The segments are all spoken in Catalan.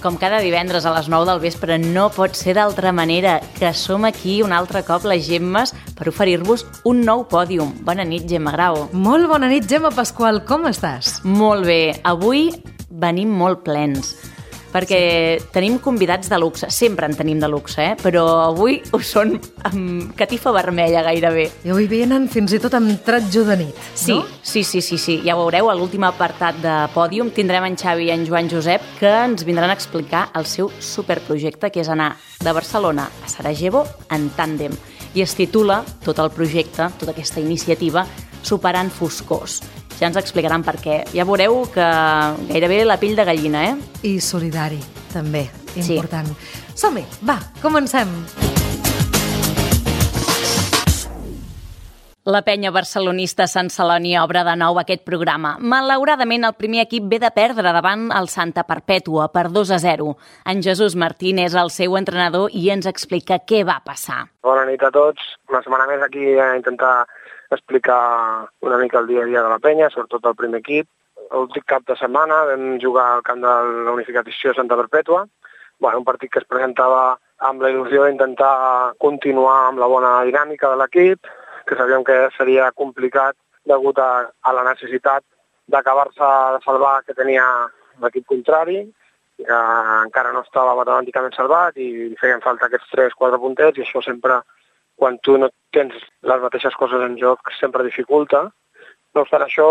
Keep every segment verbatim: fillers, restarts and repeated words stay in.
com cada divendres a les nou del vespre, no pot ser d'altra manera, que som aquí un altre cop, les Gemmes, per oferir-vos un nou pòdium. Bona nit, Gemma Grau. Molt bona nit, Gemma Pasqual, com estàs? Molt bé. Avui venim molt plens, perquè sí. tenim convidats de luxe. Sempre en tenim de luxe, eh? Però avui ho són amb catifa vermella gairebé. I avui venen fins i tot amb tratjo de nit, sí, no? Sí, sí, sí, sí. Ja ho veureu, a l'últim apartat de Pòdium tindrem en Xavi i en Joan Josep, que ens vindran a explicar el seu superprojecte, que és anar de Barcelona a Sarajevo en tàndem. I es titula tot el projecte, tota aquesta iniciativa, Superant foscors. Ja ens explicaran per què. Ja veureu que gairebé la pell de gallina, eh? I solidari, també, important. Sí. Som-hi, va, comencem! La penya barcelonista Sant Celoni obre de nou aquest programa. Malauradament, el primer equip ve de perdre davant el Santa Perpètua per dos a zero. En Jesús Martín és el seu entrenador i ens explica què va passar. Bona nit a tots. Una setmana més aquí a intentar explicar una mica el dia a dia de la penya, sobretot el primer equip. L'últim cap de setmana vam jugar al camp de la Unificació Santa Perpètua. Bueno, un partit que es presentava amb la il·lusió d'intentar continuar amb la bona dinàmica de l'equip, que sabíem que seria complicat degut a, a la necessitat d'acabar-se de salvar que tenia l'equip contrari, que encara no estava matemàticament salvat i feien falta aquests tres quatre puntets, i això sempre, quan tu no tens les mateixes coses en joc, sempre dificulta. No obstant això,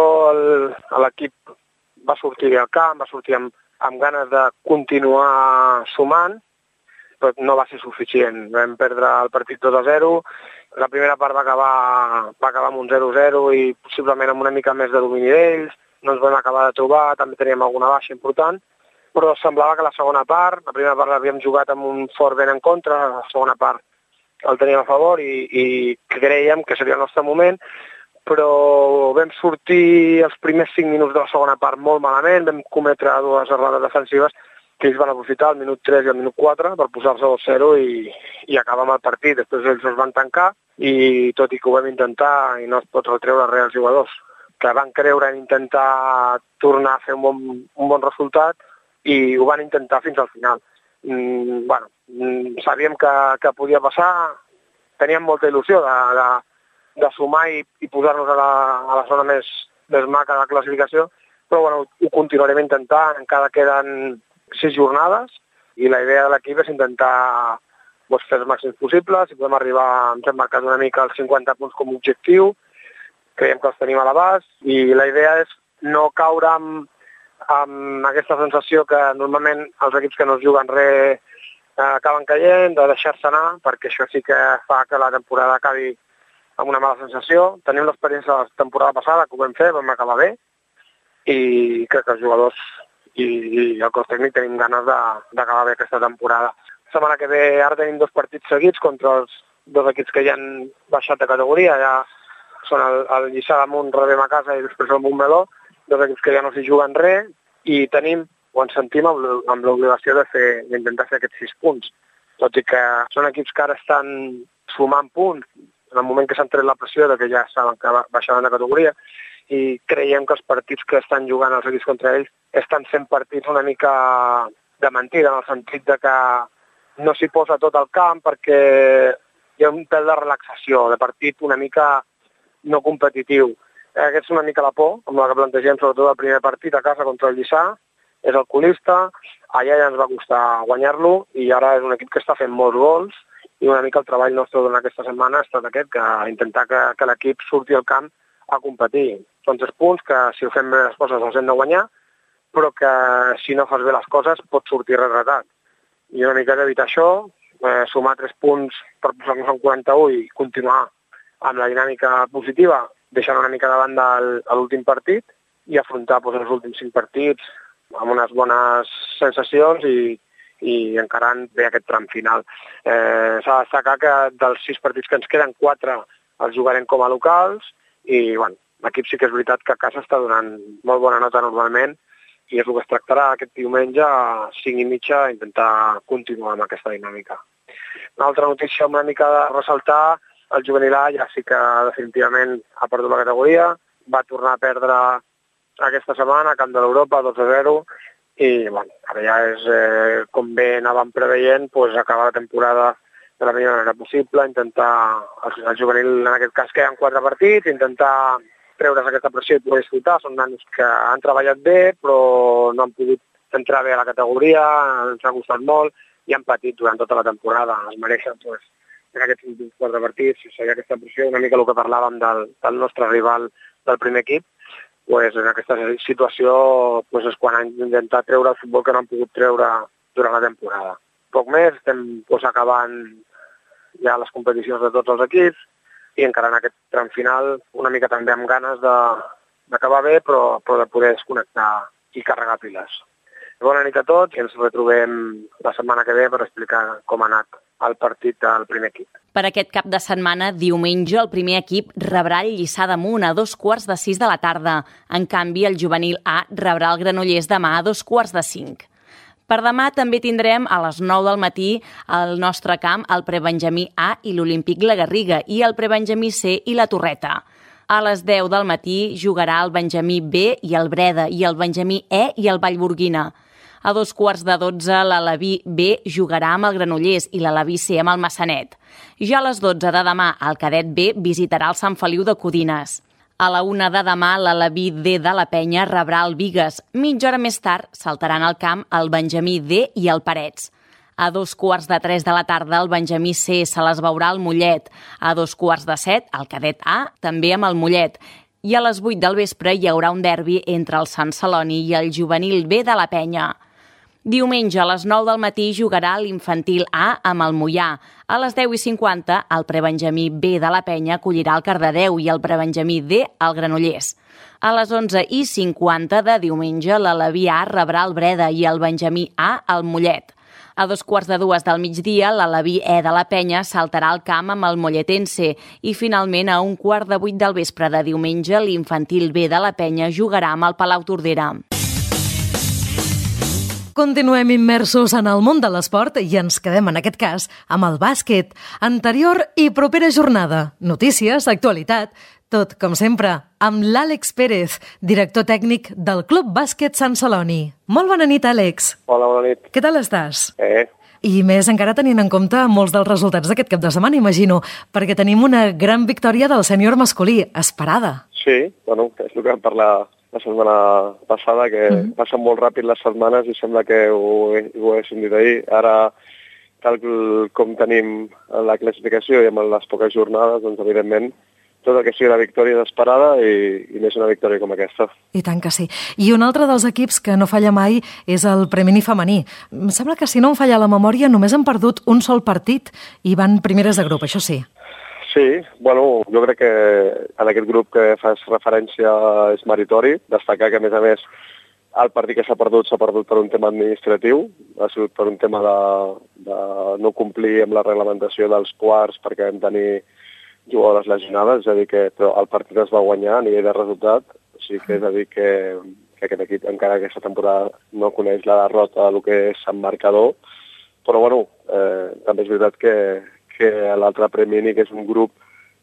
l'equip va sortir al camp, va sortir amb, amb ganes de continuar sumant, però no va ser suficient. Vam perdre el partit dos a zero, la primera part va acabar, va acabar amb un zero a zero i possiblement amb una mica més de domini d'ells, no ens vam acabar de trobar, també teníem alguna baixa important, però semblava que la segona part, la primera part l'havíem jugat amb un fort vent en contra, la segona part el teníem a favor i, i creiem que seria el nostre moment, però vam sortir els primers cinc minuts de la segona part molt malament, vam cometre dues errades defensives que ells van aprofitar, el minut tres i el minut quatre, per posar-se dos a zero i, i acabar amb el partit. Després ells es van tancar i tot i que ho vam intentar i no es pot retreure res als jugadors, que van creure en intentar tornar a fer un bon, un bon resultat i ho van intentar fins al final. Mm, bueno, mm, sabíem que, que podia passar, teníem molta il·lusió de, de, de sumar i, i posar-nos a la, a la zona més, més maca de la classificació, però bueno, ho continuarem intentant, encara queden sis jornades i la idea de l'equip és intentar doncs, fer els màxims possibles, si podem arribar, ens hem marcat una mica els cinquanta punts com a objectiu, creiem que els tenim a l'abast i la idea és no caure amb amb aquesta sensació que normalment els equips que no es juguen res eh, acaben caient, de deixar-se anar, perquè això sí que fa que la temporada acabi amb una mala sensació. Tenim l'experiència de la temporada passada, que ho vam fer, vam acabar bé, i crec que els jugadors i, i el cos tècnic tenim ganes d'acabar bé aquesta temporada. La setmana que ve ara tenim dos partits seguits contra els dos equips que ja han baixat de categoria, ja són el, el Lliçà d'Amunt, rebem a casa i després el Montmeló, dos equips que ja no s'hi juguen res, i tenim, o ens sentim amb l'obligació de fer, d'intentar fer aquests sis punts. Tot i que són equips que ara estan sumant punts, en el moment que s'han tret la pressió de que ja saben que baixaven de categoria, i creiem que els partits que estan jugant els equips contra ells estan sent partits una mica de mentida, en el sentit de que no s'hi posa tot al camp perquè hi ha un pèl de relaxació, de partit una mica no competitiu. Aquesta és una mica la por, amb la que plantegem sobretot el primer partit a casa contra el Lliçà, és el colista, allà ja ens va costar guanyar-lo i ara és un equip que està fent molts gols i una mica el treball nostre durant aquesta setmana ha estat aquest, que intentar que, que l'equip surti al camp a competir. Són tres punts que si ho fem bé les coses els hem de guanyar, però que si no fas bé les coses pot sortir retratat. I una mica d'evitar això, eh, sumar tres punts per posar-nos en quaranta-u i continuar amb la dinàmica positiva, deixant una mica de banda l'últim partit i afrontar doncs, els últims cinc partits amb unes bones sensacions i, i encarant bé aquest tram final. Eh, S'ha de destacar que dels sis partits que ens queden, quatre els jugarem com a locals i bueno, l'equip sí que és veritat que a casa està donant molt bona nota normalment i és el que es tractarà aquest diumenge a cinc i mitja intentar continuar amb aquesta dinàmica. Una altra notícia una mica de ressaltar, el juvenil A ja sí que definitivament ha perdut la categoria, va tornar a perdre aquesta setmana a Camp de l'Europa dos a zero i bueno, ara ja és, eh, com bé anàvem preveient, doncs, acabar la temporada de la millor manera possible, intentar, el juvenil en aquest cas queden quatre partits, intentar treure's aquesta pressió i poder disfrutar. Són nanos que han treballat bé, però no han pogut entrar bé a la categoria, ens ha costat molt i han patit durant tota la temporada. Es mereixen, doncs, en aquests últims quatre partits, seguir aquesta pressió, una mica el que parlàvem del, del nostre rival del primer equip, pues, en aquesta situació pues, és quan han intentat treure el futbol que no han pogut treure durant la temporada. Poc més, estem pues, acabant ja les competicions de tots els equips i encara en aquest tram final una mica també amb ganes d'acabar bé, però, però de poder desconnectar i carregar piles. Bona nit a tots i ens retrobem la setmana que ve per explicar com ha anat el partit del primer equip. Per aquest cap de setmana, diumenge, el primer equip rebrà el Lliçà d'Amunt a dos quarts de sis de la tarda. En canvi, el juvenil A rebrà el Granollers demà a dos quarts de cinc. Per demà també tindrem a les nou del matí al nostre camp el prebenjamí A i l'Olímpic La Garriga i el prebenjamí C i la Torreta. A les deu del matí jugarà el benjamí B i el Breda i el benjamí E i el Vallburguina. A dos quarts de dotze, l'Alaví B jugarà amb el Granollers i l'Alaví C amb el Massanet. Ja a les dotze de demà, el cadet B visitarà el Sant Feliu de Codines. A la una de demà, l'Alaví D de la Penya rebrà el Bigues. Mitja hora més tard, saltaran al camp el benjamí D i el Parets. A dos quarts de tres de la tarda, el benjamí C se les veurà al Mollet. A dos quarts de set, el cadet A, també amb el Mollet. I a les vuit del vespre hi haurà un derbi entre el Sant Celoni i el juvenil B de la Penya. Diumenge a les nou del matí jugarà l'infantil A amb el Moià. A les deu i cinquanta, el prebenjamí B de la Penya acollirà el Cardedeu i el prebenjamí D al Granollers. A les onze i cinquanta de diumenge, l'Alaví A rebrà el Breda i el benjamí A al Mollet. A dos quarts de dues del migdia, l'Alaví E de la Penya saltarà al camp amb el molletense i finalment a un quart de vuit del vespre de diumenge, l'infantil B de la Penya jugarà amb el Palau Tordera. Continuem immersos en el món de l'esport i ens quedem, en aquest cas, amb el bàsquet. Anterior i propera jornada. Notícies, actualitat, tot, com sempre, amb l'Àlex Pérez, director tècnic del Club Bàsquet Sant Celoni. Molt bona nit, Àlex. Hola, bona nit. Què tal estàs? Eh. I més encara tenint en compte molts dels resultats d'aquest cap de setmana, imagino, perquè tenim una gran victòria del sènior masculí, esperada. Sí, bueno, és el que vam parlar la setmana passada, que mm. passen molt ràpid les setmanes i sembla que ho, ho haguéssim dit ahir. Ara, tal com tenim la classificació i amb les poques jornades, doncs, evidentment, tot el que sigui la victòria és esperada i, i més una victòria com aquesta. I tant que sí. I un altre dels equips que no falla mai és el Premini femení. Em sembla que, si no em falla la memòria, només han perdut un sol partit i van primeres de grup, això sí. Sí, bueno, jo crec que en aquest grup que fas referència és meritori. Destacar que, a més a més, el partit que s'ha perdut s'ha perdut per un tema administratiu, ha sigut per un tema de, de no complir amb la reglamentació dels quarts perquè vam tenir jugadores lesionades, és a dir, que el partit es va guanyar a nivell de resultat, o sigui que és a dir que, que aquest equip encara aquesta temporada no coneix la derrota del que és en marcador, però bueno, eh, també és veritat que que l'altre Premini, que és un grup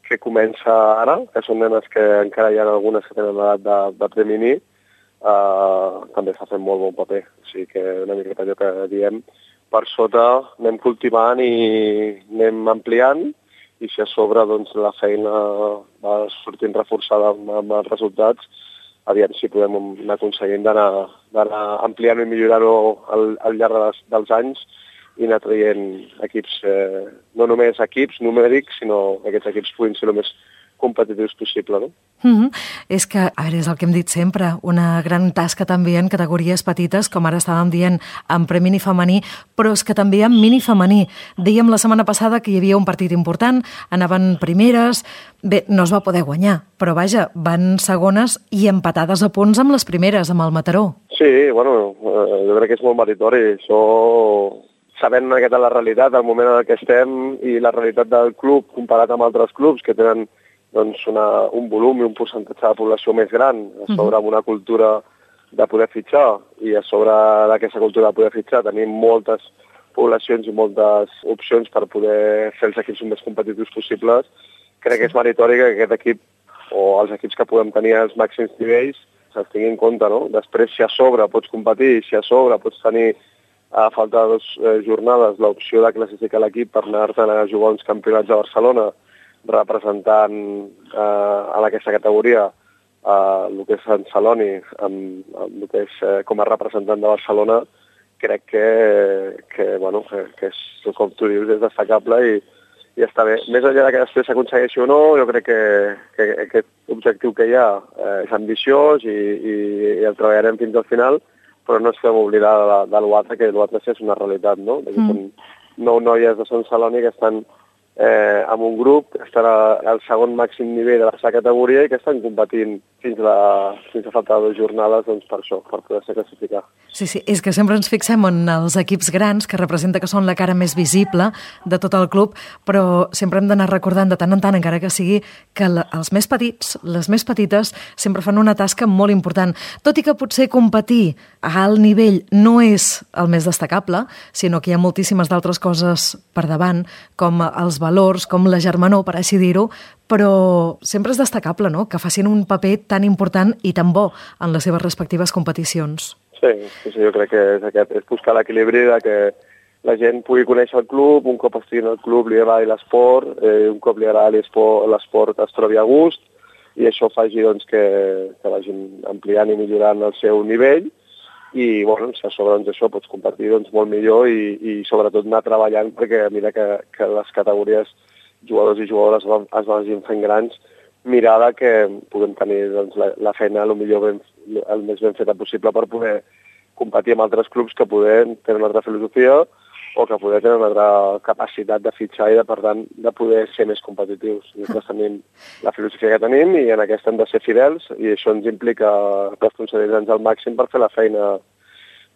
que comença ara, que són nenes que encara hi ha algunes que tenen l'edat de, de Premini, eh, també està fent molt bon paper. O sigui que una miqueta allò que diem, per sota anem cultivant i anem ampliant, i si a sobre doncs, la feina va sortint reforçada amb, amb els resultats, aviam si podem anar aconseguint d'anar ampliant i millorant-ho al, al llarg dels, dels anys, i anar traient equips, eh, no només equips numèrics, sinó que aquests equips puguin ser el més competitius possible, no? Mm-hmm. És que, a veure, és el que hem dit sempre, una gran tasca també en categories petites, com ara estàvem dient, en premini femení, però és que també en mini femení. Dèiem la setmana passada que hi havia un partit important, anaven primeres, bé, no es va poder guanyar, però vaja, van segones i empatades a punts amb les primeres, amb el Mataró. Sí, bueno, eh, jo crec que és molt meritori, això... sabent una miqueta la realitat, el moment en què estem i la realitat del club comparat amb altres clubs que tenen doncs, una, un volum i un percentatge de població més gran, a sobre amb una cultura de poder fitxar i a sobre d'aquesta cultura de poder fitxar tenim moltes poblacions i moltes opcions per poder fer els equips més competitius possibles. Crec que és meritori que aquest equip o els equips que podem tenir als màxims nivells se'ls tingui en compte, no? Després, si a sobre pots competir, si a sobre pots tenir a falta de dues eh, jornades l'opció de classificar l'equip per anar-te'n a jugar uns campionats a Barcelona representant eh, en aquesta categoria eh, el que és Sant Celoni, amb, amb el que és eh, com a representant de Barcelona, crec que, que, bueno, que, que és, com tu dius, és destacable i, i està bé. Més enllà que després s'aconsegueixi o no, jo crec que, que aquest objectiu que hi ha eh, és ambiciós i, i, i el treballarem fins al final, però no ens fem oblidar de, de l'U A T R, que l'U A T R és una realitat, no? Mm. Són nou noies de Sant Celoni que estan eh, en un grup, que estan al segon màxim nivell de la seva categoria i que estan competint fins a, fins a falta de dues jornades doncs, per això, per poder ser classificar. Sí, sí, és que sempre ens fixem en els equips grans, que representa que són la cara més visible de tot el club, però sempre hem d'anar recordant de tant en tant, encara que sigui, que la, els més petits, les més petites, sempre fan una tasca molt important. Tot i que potser competir a alt nivell no és el més destacable, sinó que hi ha moltíssimes d'altres coses per davant, com els valors, com la germanor, per així dir-ho, però sempre és destacable, no?, que facin un paper tan important i tan bo en les seves respectives competicions. Sí, sí, sí, jo crec que és aquest, és buscar l'equilibri de que la gent pugui conèixer el club, un cop estigui en el club li agradi l'esport, eh, un cop li agradi l'esport es trobi a gust, i això faci doncs, que, que vagin ampliant i millorant el seu nivell, i bueno, si a sobre doncs, això pots competir doncs, molt millor i, i sobretot anar treballant perquè mira que, que les categories jugadors i jugadores es vagin fent grans, mirada que puguem tenir doncs, la, la feina el, millor ben, el més ben feta possible per poder competir amb altres clubs que poder tenen una altra filosofia o que poder tenir una altra capacitat de fitxar i de, per tant, de poder ser més competitius. Nosaltres tenim la filosofia que tenim i en aquesta hem de ser fidels i això ens implica responsabilitzar-nos al màxim per fer la feina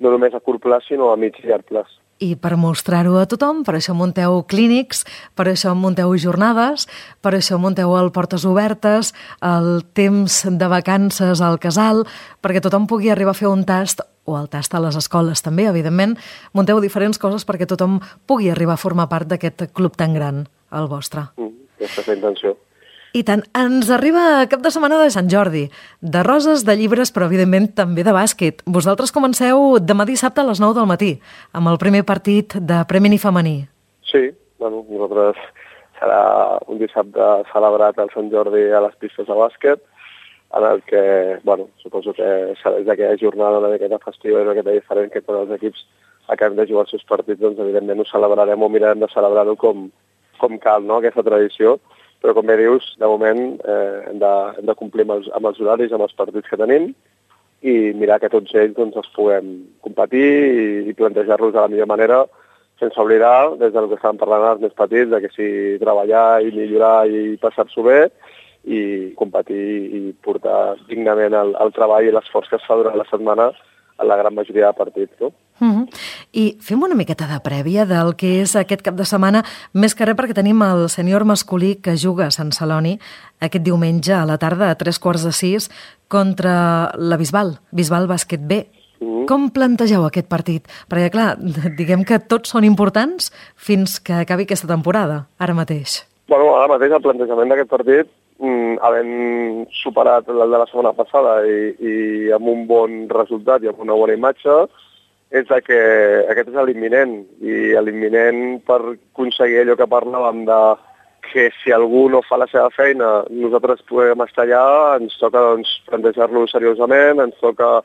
no només a curt plaç sinó a mig i llarg plaç. I per mostrar-ho a tothom, per això munteu clínics, per això munteu jornades, per això munteu el Portes Obertes, el temps de vacances al casal, perquè tothom pugui arribar a fer un tast, o el tast a les escoles també, evidentment. Munteu diferents coses perquè tothom pugui arribar a formar part d'aquest club tan gran, el vostre. Mm, aquesta és la intenció. I tant, ens arriba cap de setmana de Sant Jordi, de roses, de llibres, però evidentment també de bàsquet. Vosaltres comenceu demà dissabte a les nou del matí, amb el primer partit de Premi Femení. Sí, bueno, nosaltres serà un dissabte celebrat al Sant Jordi a les pistes de bàsquet, en el que, bueno, suposo que serà d'aquella jornada una miqueta festiva i una miqueta diferent que tots els equips acabem de jugar els seus partits, doncs evidentment ho celebrarem o mirarem de celebrar-ho com, com cal, no?, aquesta tradició. Però, com bé dius, de moment eh, hem, de, hem de complir amb els, amb els horaris, amb els partits que tenim i mirar que tots ells doncs, els puguem competir i, i plantejar-los de la millor manera, sense oblidar, des del que estàvem parlant els més petits, de que sí, treballar i millorar i passar-s'ho bé i competir i portar dignament el, el treball i l'esforç que es fa durant la setmana a la gran majoria de partits, no? Uh-huh. I fem una miqueta de prèvia del que és aquest cap de setmana, més que res perquè tenim el sènior masculí que juga a Sant Celoni aquest diumenge a la tarda a tres quarts de sis contra la Bisbal, Bisbal Bàsquet B. Uh-huh. Com plantegeu aquest partit? Perquè, clar, diguem que tots són importants fins que acabi aquesta temporada, ara mateix. Bueno, ara mateix el plantejament d'aquest partit, mm, havent superat el de la setmana passada i, i amb un bon resultat i amb una bona imatge, és que aquest és l'imminent, i l'imminent per aconseguir allò que parlàvem de que si algú no fa la seva feina, nosaltres podem estar allà, ens toca doncs, plantejar-lo seriosament, ens toca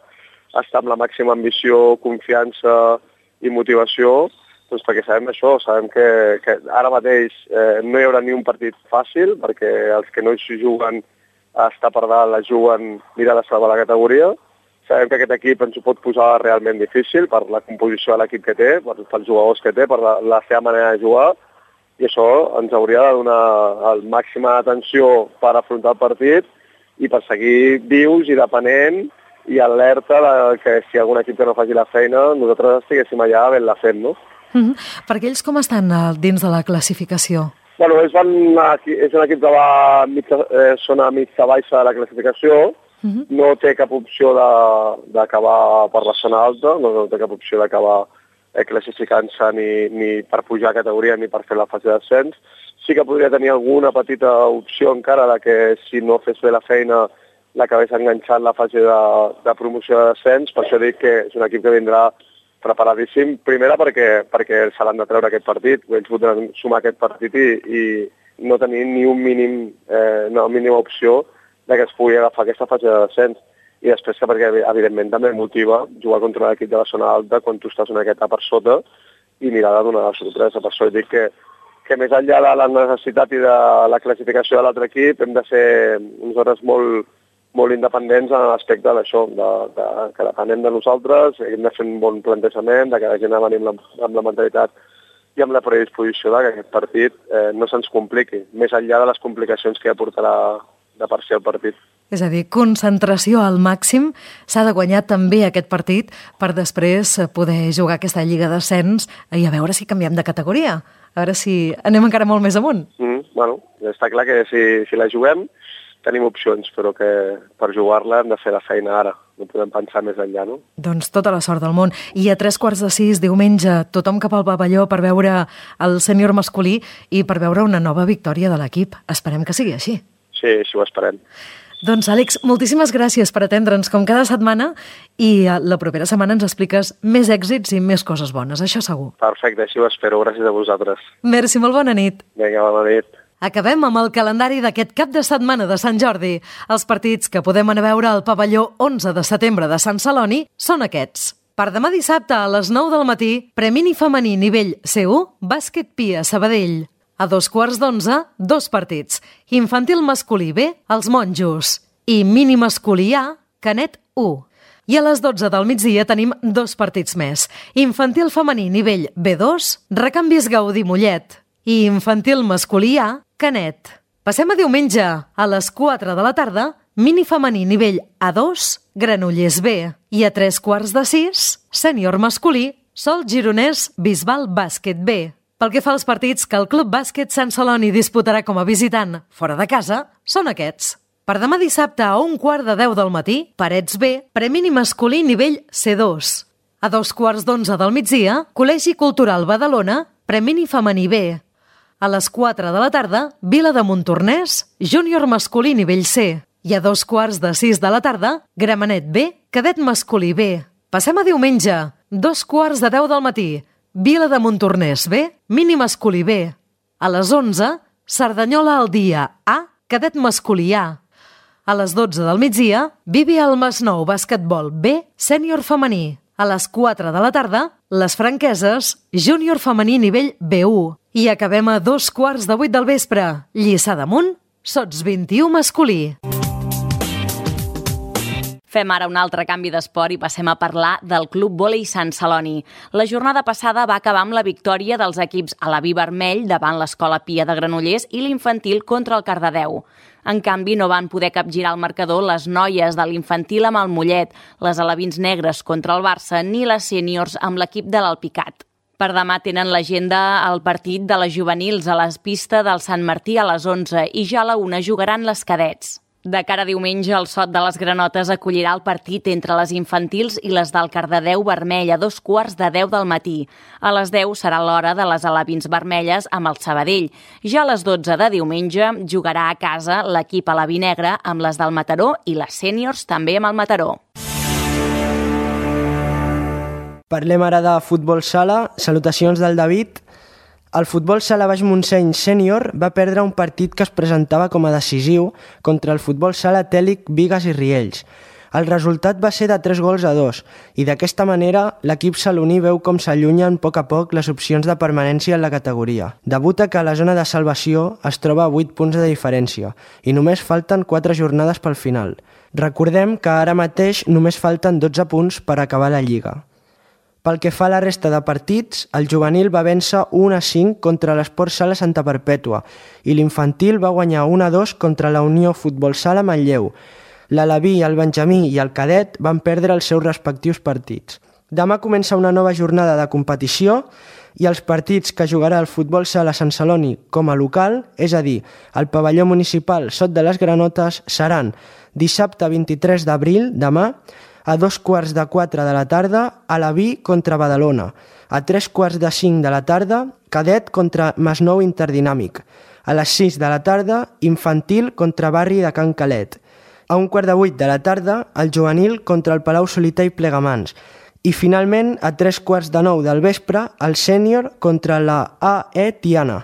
estar amb la màxima ambició, confiança i motivació, doncs perquè sabem això, sabem que, que ara mateix eh, no hi haurà ni un partit fàcil, perquè els que no hi juguen a estar per dalt, la juguen mirar de salvar la categoria. Sabem que aquest equip ens ho pot posar realment difícil per la composició de l'equip que té, per, pels jugadors que té, per la, la seva manera de jugar, i això ens hauria de donar el màxima atenció per afrontar el partit i per seguir vius i depenent i alerta de que si algun equip que no faci la feina, nosaltres estiguéssim allà ben la fent, no? Mm-hmm. Perquè ells com estan dins de la classificació? Bueno, ells van a, és un equip que va a mitja, eh, zona mitja baixa de la classificació. Uh-huh. No té cap opció d'acabar per la zona alta, no, no té cap opció d'acabar eh, classificant-se ni, ni per pujar a categoria ni per fer la fase d'ascens. Sí que podria tenir alguna petita opció encara de que si no fes bé la feina l'acabés enganxant la fase de, de promoció de descens. Per això dic que és un equip que vindrà preparadíssim. Primera perquè, perquè se l'han de treure aquest partit, ells voldran sumar aquest partit i, i no tenir ni un mínim, eh, una mínima opció de que es pugui agafar aquesta fase de descens. I després que perquè, evidentment, també motiva jugar contra l'equip de la zona alta quan tu estàs una miqueta per sota i mirar de donar la sorpresa. Per això dic que, que més enllà de la necessitat i de la classificació de l'altre equip hem de ser nosaltres molt, molt independents en l'aspecte d'això, de, de, que depenem de nosaltres, hem de fer un bon plantejament, de que la gent ha venir amb la, amb la mentalitat i amb la predisposició de que aquest partit eh, no se'ns compliqui, més enllà de les complicacions que aportarà de per si el partit. És a dir, concentració al màxim, s'ha de guanyar també aquest partit per després poder jugar aquesta Lliga d'Ascens i a veure si canviem de categoria, a veure si anem encara molt més amunt. Mm, bueno, està clar que si, si la juguem tenim opcions, però que per jugar-la hem de fer la feina ara, no podem pensar més enllà, no? Doncs tota la sort del món. I a tres quarts de sis, diumenge, tothom cap al pavelló per veure el sènior masculí i per veure una nova victòria de l'equip. Esperem que sigui així. Sí, així ho esperem. Doncs, Àlex, moltíssimes gràcies per atendre'ns com cada setmana i la propera setmana ens expliques més èxits i més coses bones, això segur. Perfecte, així ho espero. Gràcies a vosaltres. Merci, molt bona nit. Vinga, bona nit. Acabem amb el calendari d'aquest cap de setmana de Sant Jordi. Els partits que podem anar a veure al pavelló onze de setembre de Sant Celoni són aquests. Per demà dissabte a les nou del matí, Premini femení nivell C u, bàsquet Pia Sabadell. A dos quarts d'onze, dos partits. Infantil masculí B, els Monjos. I mini masculí A, Canet u. I a les dotze del migdia tenim dos partits més. Infantil femení nivell B dos, Recanvis Gaudí Mollet. I infantil masculí A, Canet. Passem a diumenge. A les quatre de la tarda, mini femení nivell A dos, Granollers B. I a tres quarts de sis, sènior masculí, Sol Gironès Bisbal Bàsquet B. Pel que fa als partits que el Club Bàsquet Sant Celoni disputarà com a visitant fora de casa, són aquests. Per demà dissabte a un quart de deu del matí, Parets B, Premini masculí nivell C dos. A dos quarts d'onze del migdia, Col·legi Cultural Badalona, Premini femení B. A les quatre de la tarda, Vila de Montornès, Júnior masculí nivell C. I a dos quarts de sis de la tarda, Gramenet B, Cadet masculí B. Passem a diumenge, dos quarts de deu del matí, Vila de Montornès B, mini masculí B. A les onze, Cerdanyola al dia A, cadet masculí A. A les dotze del migdia, Vivi al Masnou Basquetbol B, sènior femení. A les quatre de la tarda, Les Franqueses, júnior femení nivell B u. I acabem a dos quarts de vuit del vespre, Lliçà d'Amunt, Sots vint i u masculí. Fem ara un altre canvi d'esport i passem a parlar del Club Vòlei Sant Celoni. La jornada passada va acabar amb la victòria dels equips Alaví Vermell davant l'Escola Pia de Granollers i l'infantil contra el Cardedeu. En canvi, no van poder capgirar el marcador les noies de l'infantil amb el Mollet, les alevins negres contra el Barça ni les sèniors amb l'equip de l'Alpicat. Per demà tenen l'agenda el partit de les juvenils a les pistes del Sant Martí a les onze i ja a la una jugaran les cadets. De cara a diumenge, el Sot de les Granotes acollirà el partit entre les infantils i les del Cardedeu Vermell a dos quarts de deu del matí. A les deu serà l'hora de les alevins vermelles amb el Sabadell. Ja a les dotze de diumenge jugarà a casa l'equip alaví negre amb les del Mataró i les sèniors també amb el Mataró. Parlem ara de futbol sala. Salutacions del David. El futbol sala Baix Montseny sènior va perdre un partit que es presentava com a decisiu contra el futbol sala Tèlic, Bigues i Riells. El resultat va ser de tres gols a dos i d'aquesta manera l'equip saloní veu com s'allunyen a poc a poc les opcions de permanència en la categoria. Debuta que a la zona de salvació es troba a vuit punts de diferència i només falten quatre jornades pel final. Recordem que ara mateix només falten dotze punts per acabar la Lliga. Pel que fa a la resta de partits, el juvenil va vèncer un a cinc contra l'Esport Sala Santa Perpètua i l'infantil va guanyar un a dos contra la Unió Futbol Sala Manlleu. L'Alaví, el Benjamí i el Cadet van perdre els seus respectius partits. Demà comença una nova jornada de competició i els partits que jugarà el Futbol Sala Sant Celoni com a local, és a dir, el pavelló municipal Sot de les Granotes, seran dissabte vint-i-tres d'abril, demà, a dos quarts de quatre de la tarda, Alaví contra Badalona. A tres quarts de cinc de la tarda, Cadet contra Masnou Interdinàmic. A les sis de la tarda, Infantil contra Barri de Can Calet. A un quart de vuit de la tarda, el juvenil contra el Palau Solità i Plegamans. I finalment, a tres quarts de nou del vespre, el sènior contra la A E Tiana.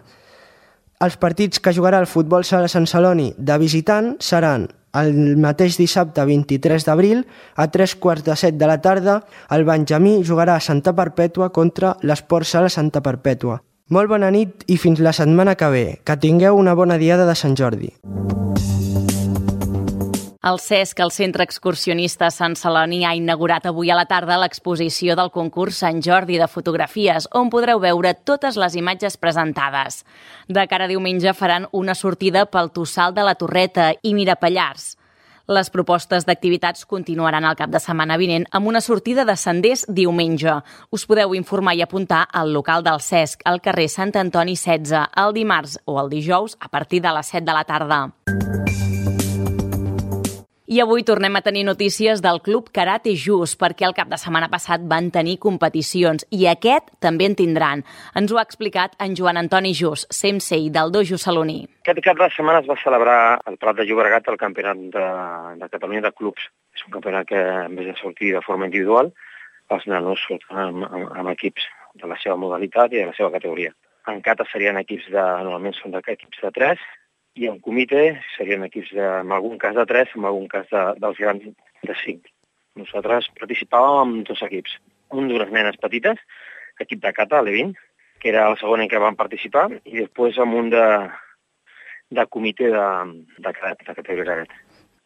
Els partits que jugarà el Futbol Sala Sant Celoni de visitant seran el mateix dissabte vint-i-tres d'abril, a tres quarts de set de la tarda, el Benjamí jugarà a Santa Perpètua contra l'Esport Sala Santa Perpètua. Molt bona nit i fins la setmana que ve. Que tingueu una bona diada de Sant Jordi. El Cesc, el Centre Excursionista Sant Celoni, ha inaugurat avui a la tarda l'exposició del concurs Sant Jordi de fotografies, on podreu veure totes les imatges presentades. De cara a diumenge faran una sortida pel Tossal de la Torreta i Mirapallars. Les propostes d'activitats continuaran el cap de setmana vinent amb una sortida de senders diumenge. Us podeu informar i apuntar al local del Cesc, al carrer Sant Antoni setze, el dimarts o el dijous a partir de les set de la tarda. I avui tornem a tenir notícies del Club Karate Jus, perquè el cap de setmana passat van tenir competicions i aquest també en tindran. Ens ho ha explicat en Joan Antoni Jus, sensei del dojo saloní. Aquest cap de setmana es va celebrar al Prat de Llobregat el campionat de, de Catalunya de clubs. És un campionat que, en vez de sortir de forma individual, els nanos surten amb, amb, amb equips de la seva modalitat i de la seva categoria. En kata serien equips de, normalment són equips de tres, i en comitè serien equips, de, en algun cas de tres, en algun cas de, dels grans de cinc. Nosaltres participàvem amb dos equips. Un d'unes nenes petites, equip de kata, l'E vint, que era el segon en què van participar, i després amb un de, de comitè de, de cadet, de categoria cadet.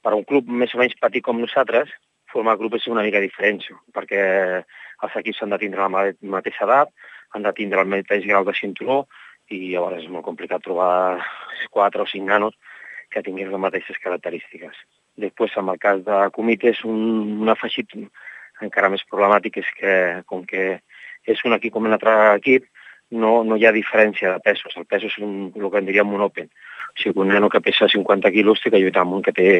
Per un club més o menys petit com nosaltres, formar grup és una mica diferent, perquè els equips han de tindre la mateixa edat, han de tindre el mateix grau de cinturó, i llavors és molt complicat trobar quatre o cinc nanos que tinguin les mateixes característiques. Després, en el cas de comitè, és un, un afegit encara més problemàtic, és que, com que és un equip com un altre equip, no, no hi ha diferència de pesos. El pes és un, el que en diríem un open. O sigui, un nano que pesa cinquanta quilos té que lluitar amb un que té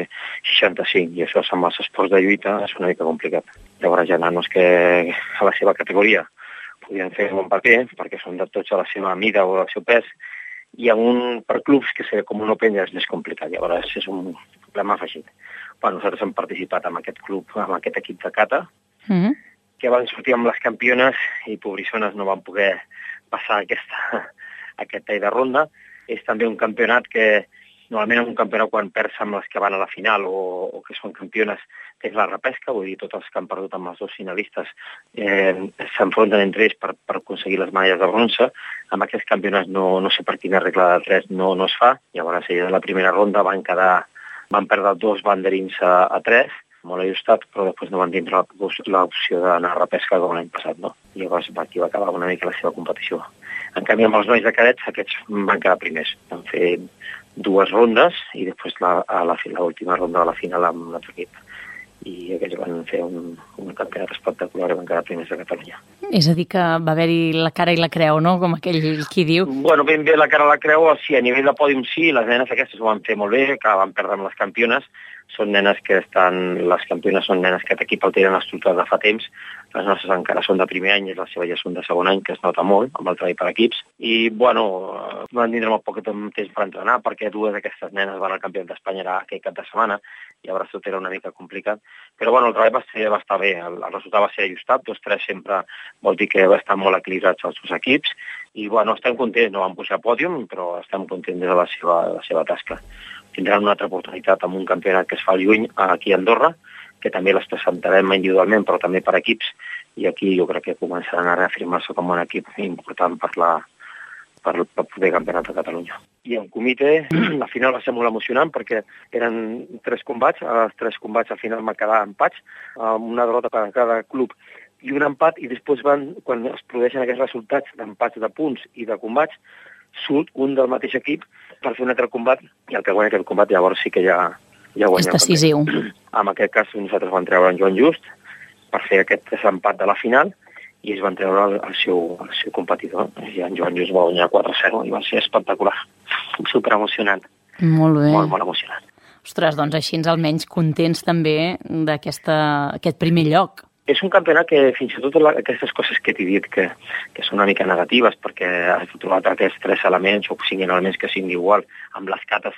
seixanta-cinc, i això amb els esports de lluita és una mica complicat. Llavors hi ha nanos que a la seva categoria podien fer un bon paper, perquè són de tots a la seva mida o al seu pes, i en un, per clubs que ser com un open ja és més complicat, llavors és un problema afegit. Bueno, nosaltres hem participat en aquest club, en aquest equip de kata, mm-hmm. que van sortir amb les campiones i pobrissones no van poder passar aquesta, aquest tall de ronda. És també un campionat que normalment en un campionat quan perds amb les que van a la final o, o que són campiones tens la repesca, vull dir, tots els que han perdut amb els dos finalistes eh, s'enfronten entre ells per, per aconseguir les medalles de bronze. Amb aquests campionats no, no sé per quina regla de tres no, no es fa. Llavors, de la primera ronda van quedar, van perdre dos banderins a, a tres, molt ajustat, però després no van tindre l'opció d'anar a repesca com l'any passat, no? I llavors aquí va acabar una mica la seva competició. En canvi, amb els nois de cadets, aquests van quedar primers. Van fer dues rondes i després la, a la, l'última ronda de la final amb l'altre equip. I aquells van fer un, un campionat espectacular i van quedar primers de Catalunya. És a dir, que va haver-hi la cara i la creu, no?, com aquell qui diu. Bueno, ben bé la cara i la creu, sí, a nivell de pòdium sí, les nenes aquestes ho van fer molt bé, que van perdre amb les campiones. Són nenes que estan, les campiones són nenes que aquest equip el tenen estructurat de fa temps, les nostres encara són de primer any, les seves ja són de segon any, que es nota molt amb el treball per equips. I, bueno, van tindre molt poc temps per entrenar, perquè dues d'aquestes nenes van al campionat d'Espanya aquell cap de setmana, i llavors tot era una mica complicat. Però, bueno, el treball va, ser, va estar bé, el, el resultat va ser ajustat, dos tres sempre vol dir que va estar molt equilibrats els dos equips, i, bueno, estem contents, no van pujar a pòdium, però estem contents de la seva, de la seva tasca. Tindran una altra oportunitat amb un campionat que es fa al juny aquí a Andorra, que també les presentarem individualment, però també per equips, i aquí jo crec que començaran a reafirmar-se com un equip important per la per el proper campionat de Catalunya. I en comitè, la final va ser molt emocionant perquè eren tres combats, els tres combats al final van quedar empats, amb una derrota per cada club i un empat, i després van, quan es produeixen aquests resultats d'empats de punts i de combats, surt un del mateix equip per fer un altre combat, i el que guanya aquest combat llavors sí que ja, ja guanya. És decisiu. En aquest cas nosaltres vam treure en Joan Just per fer aquest desempat de la final, i es van treure el, el, seu, el seu competidor. I en Joan Just va guanyar quatre a zero i va ser espectacular. Super emocionant. Molt bé. Molt, molt emocionant. Ostres, doncs així ens almenys contents també d'aquest primer lloc. És un campionat que fins i tot la, aquestes coses que t'he dit que, que són una mica negatives perquè has trobat aquests tres elements o cinc elements que siguin igual, amb les cates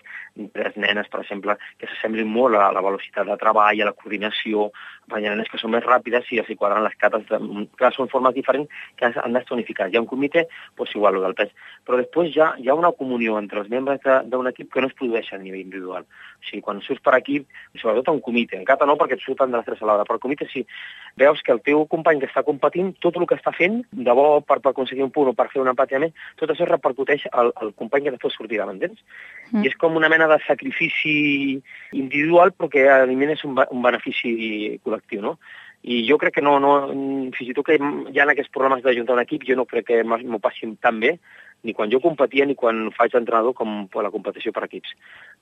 tres nenes, per exemple, que s'assemblin molt a la velocitat de treball, a la coordinació, hi ha nenes que són més ràpides i els hi quadren les cates, de, clar, són formes diferents que han d'estar unificades. Hi ha un comitè, doncs igual, el del pes. Però després ja hi ha una comunió entre els membres d'un equip que no es produeix a nivell individual. O sigui, quan surts per equip, sobretot en comitè, en cata no perquè et surten de les tres a l'hora, però el comitè sí, veus que el teu company que està competint, tot el que està fent, de bo per, per aconseguir un punt o per fer un empat més, tot això repercuteix al, al company que després sortirà, m'entens? Mm. I és com una mena de sacrifici individual, però que elimina un, un benefici col·lectiu, no? I jo crec que no, no, fins i tot que hi ha aquests problemes d'ajuntar un equip, jo no crec que m'ho passin tan bé, ni quan jo competia ni quan faig d'entrenador com per la competició per equips.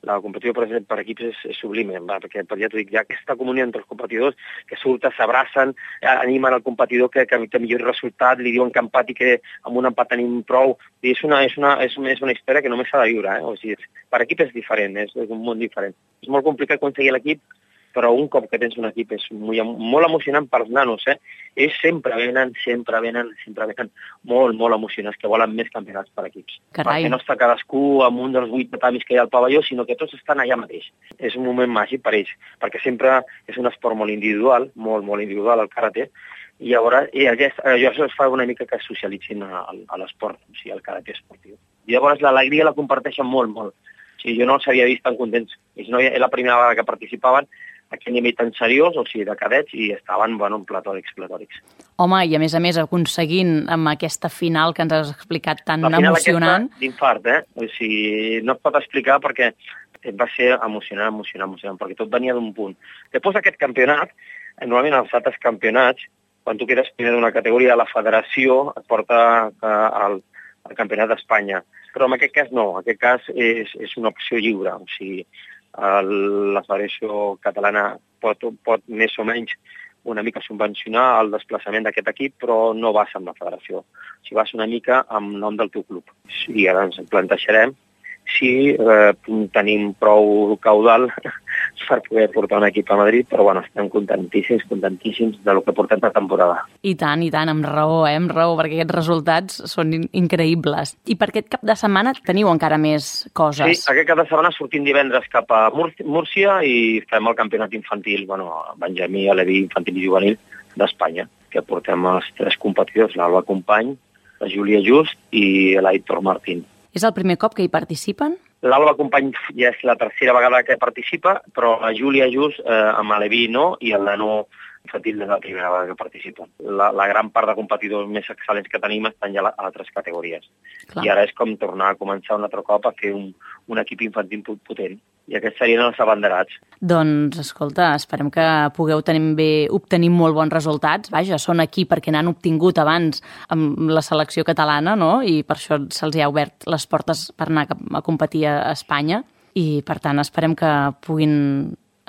La competició per, per equips és, és sublime, va, perquè ja t'ho dic, hi ha aquesta comunió entre els competidors que surten, s'abracen, animen el competidor que, que, que millori el resultat, li diuen que empat i que amb un empat tenim prou. I és una, és una, és una, és una història que només s'ha de viure, eh? O sigui, per equip és diferent, és, és un món diferent. És molt complicat aconseguir l'equip, però un cop que tens un equip és molt, molt emocionant per als nanos, eh? Ells sempre venen, sempre venen, sempre venen molt, molt emocionants, que volen més campionats per equips. Carai. Perquè no està cadascú amb un dels vuit tatamis que hi ha al pavelló, sinó que tots estan allà mateix. És un moment màgic per ells, perquè sempre és un esport molt individual, molt, molt individual, el karate, i llavors i això es fa una mica que es socialitzin a, a l'esport, o sigui, el karate esportiu. I llavors l'alegria la comparteixen molt, molt. O sigui, jo no els havia vist tan contents. És la primera vegada que participaven a aquell nivell tan seriós, o sigui, de cadets, i estaven, bueno, platòrics, platòrics. Home, i a més a més aconseguint amb aquesta final que ens has explicat tan emocionant... La final emocionant... aquesta d'infart, eh? O sigui, no es pot explicar perquè va ser emocionant, emocionant, emocionant, perquè tot venia d'un punt. Després d'aquest campionat, normalment els altres campionats, quan tu quedes primer d'una categoria, la federació et porta al, al campionat d'Espanya. Però en aquest cas no, en aquest cas és, és una opció lliure, o sigui, el, la Federació Catalana pot, pot més o menys una mica subvencionar el desplaçament d'aquest equip, però no vas amb la federació. O sigui, vas una mica amb nom del teu club. I ara ens plantejarem si eh, tenim prou caudal per poder portar un equip a Madrid, però bueno, estem contentíssims, contentíssims del que portem de temporada. I tant, i tant, amb raó, eh? Amb raó, perquè aquests resultats són in increïbles. I per aquest cap de setmana teniu encara més coses. Sí, aquest cap de setmana sortim divendres cap a Múrcia i fem el campionat infantil, bueno, Benjamí, Aleví, infantil i juvenil d'Espanya, que portem els tres competidors, l'Alba Company, la Júlia Just i l'Aitor Martín. És el primer cop que hi participen? L'Alba Company ja és la tercera vegada que participa, però la Júlia Just eh, amb Aleví no, i el nano infantil és la primera vegada que participen. La, la gran part de competidors més excel·lents que tenim estan ja a altres categories. Clar. I ara és com tornar a començar un altre cop a fer un, un equip infantil potent. I aquests serien els abanderats. Doncs, escolta, esperem que pugueu tenir bé, obtenir molt bons resultats. Vaja, són aquí perquè n'han obtingut abans amb la selecció catalana, no? I per això se'ls ha obert les portes per anar a competir a Espanya. I, per tant, esperem que puguin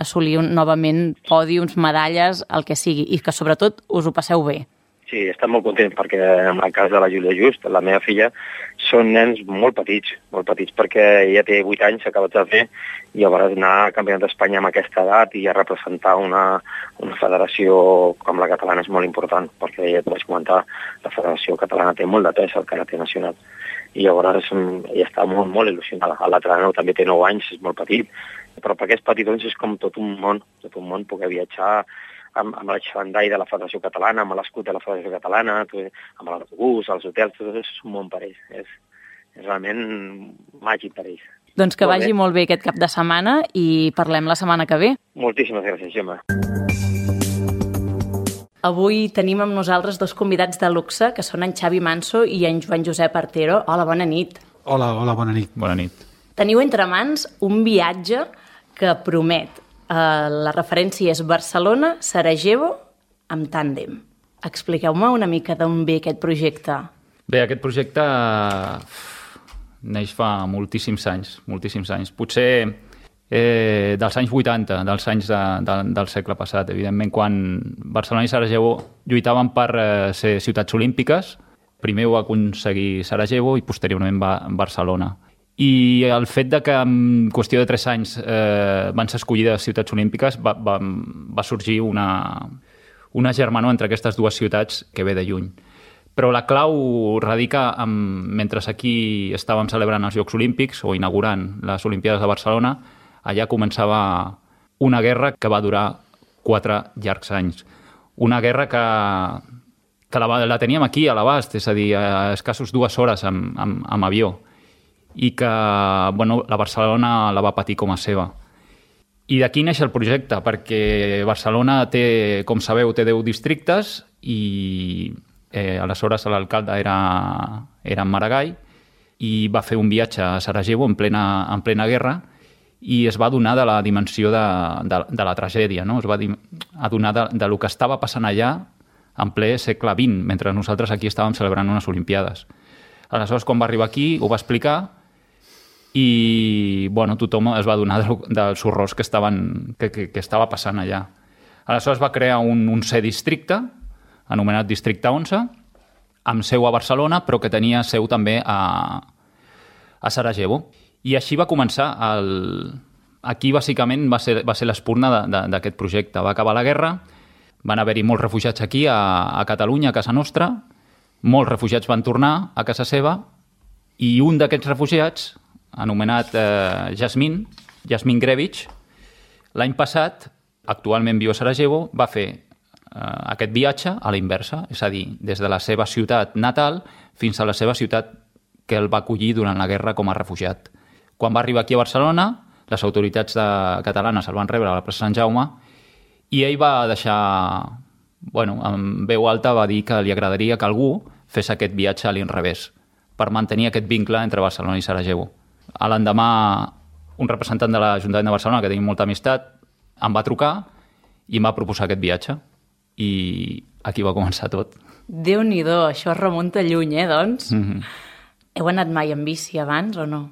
assolir un, novament pòdiums, medalles, el que sigui, i que, sobretot, us ho passeu bé. Sí, estem molt contents perquè en el cas de la Júlia Just, la meva filla, són nens molt petits, molt petits, perquè ella té vuit anys, s'ha acabat de fer, i llavors anar al Campionat d'Espanya amb aquesta edat i a representar una, una federació com la catalana és molt important, perquè ja t'ho vaig comentar, la federació catalana té molt de pes al karate nacional. I llavors ella està molt, molt il·lusionada. L'altre nano també té nou anys, és molt petit, però per aquests petitons és com tot un món, tot un món, poder viatjar amb, amb el xavandall de la Federació Catalana, amb l'escut de la Federació Catalana, amb l'autobús, els hotels, tot és un món per ells. És, és realment màgic per ells. Doncs que molt vagi bé. Molt bé aquest cap de setmana i parlem la setmana que ve. Moltíssimes gràcies, Gemma. Avui tenim amb nosaltres dos convidats de luxe, que són en Xavi Manso i en Joan Josep Artero. Hola, bona nit. Hola, hola, bona nit. Bona nit. Teniu entre mans un viatge que promet. Uh, la referència és Barcelona-Sarajevo amb tàndem. Expliqueu-me una mica d'on ve aquest projecte. Bé, aquest projecte neix fa moltíssims anys, moltíssims anys. Potser eh, dels anys vuitanta, dels anys de, de, del segle passat. Evidentment, quan Barcelona i Sarajevo lluitaven per eh, ser ciutats olímpiques, primer ho va aconseguir Sarajevo i posteriorment va Barcelona. I el fet de que en qüestió de tres anys eh, van ser escollides ciutats olímpiques va, va, va sorgir una, una germanor entre aquestes dues ciutats que ve de lluny. Però la clau radica en, mentre aquí estàvem celebrant els Jocs Olímpics o inaugurant les Olimpiades de Barcelona, allà començava una guerra que va durar quatre llargs anys. Una guerra que, que la, la teníem aquí a l'abast, és a dir, a escassos dues hores amb, amb, amb avió, i que bueno, la Barcelona la va patir com a seva. I d'aquí neix el projecte, perquè Barcelona té, com sabeu, té deu districtes i eh, aleshores l'alcalde era, era en Maragall i va fer un viatge a Sarajevo en plena, en plena guerra i es va adonar de la dimensió de, de, de la tragèdia, no? Es va adonar de, de lo que estava passant allà en ple segle vint, mentre nosaltres aquí estàvem celebrant unes Olimpiades. Aleshores, quan va arribar aquí, ho va explicar i bueno, tothom es va adonar del, dels horrors que, estaven, que, que, que estava passant allà. Aleshores va crear un onzè districte, anomenat Districte onze, amb seu a Barcelona, però que tenia seu també a, a Sarajevo. I així va començar. El... Aquí, bàsicament, va ser, va ser l'espurna d'aquest projecte. Va acabar la guerra, van haver-hi molts refugiats aquí, a, a Catalunya, a casa nostra, molts refugiats van tornar a casa seva, i un d'aquests refugiats, anomenat eh, Jasmin, Jasmin Grevich, l'any passat, actualment viu a Sarajevo, va fer eh, aquest viatge a la inversa, és a dir, des de la seva ciutat natal fins a la seva ciutat que el va acollir durant la guerra com a refugiat. Quan va arribar aquí a Barcelona, les autoritats de, catalanes el van rebre a la plaça Sant Jaume i ell va deixar, bueno, amb veu alta va dir que li agradaria que algú fes aquest viatge a l'inrevés per mantenir aquest vincle entre Barcelona i Sarajevo. A l'endemà, un representant de l'Ajuntament de Barcelona, que tenim molta amistat, em va trucar i em va proposar aquest viatge. I aquí va començar tot. Déu-n'hi-do, això es remunta lluny, eh, doncs? Mm-hmm. Heu anat mai en bici abans o no?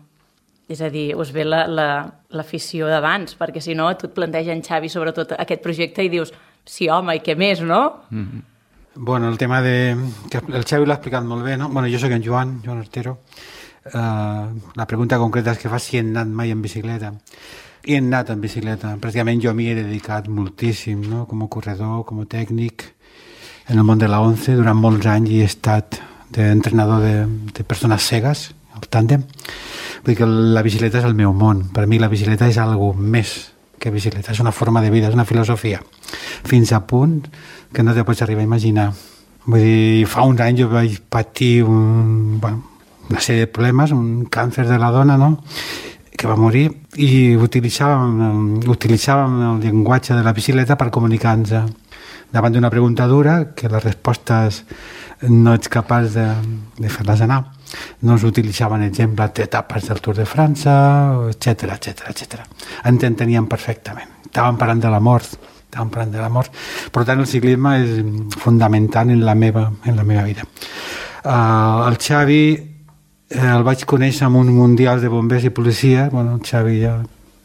És a dir, us ve l'afició la, d'abans, perquè si no, tu et planteja en Xavi sobretot aquest projecte i dius, sí, home, i què més, no? Mm-hmm. Bueno, el tema de... que el Xavi l'ha explicat molt bé, no? Bueno, jo soc en Joan, Joan Artero. Uh, la pregunta concreta és que fa si he anat mai en bicicleta. He anat en bicicleta. Pràcticament jo m'hi he dedicat moltíssim, no? Com a corredor, com a tècnic, en el món de la once. Durant molts anys he estat d'entrenador de, de persones cegues, al tàndem. Vull dir que la bicicleta és el meu món. Per mi la bicicleta és algo més que bicicleta. És una forma de vida, és una filosofia. Fins a punt que no te pots arribar a imaginar. Vull dir, fa uns anys jo vaig patir un... Bueno, una sèrie de problemes, un càncer de la dona, no?, que va morir, i utilitzàvem, utilitzàvem el llenguatge de la bicicleta per comunicar-nos davant d'una pregunta dura que les respostes no ets capaç de, de fer-les anar. No es utilitzaven exemples d'etapes del Tour de França, etcètera, etcètera, etcètera. Ens enteníem perfectament. Estàvem parlant de la mort, estàvem parlant de la mort. Per tant, el ciclisme és fundamental en la meva, en la meva vida. Uh, el Xavi el vaig conèixer en un mundial de bombers i policia. Bueno, el Xavi ja...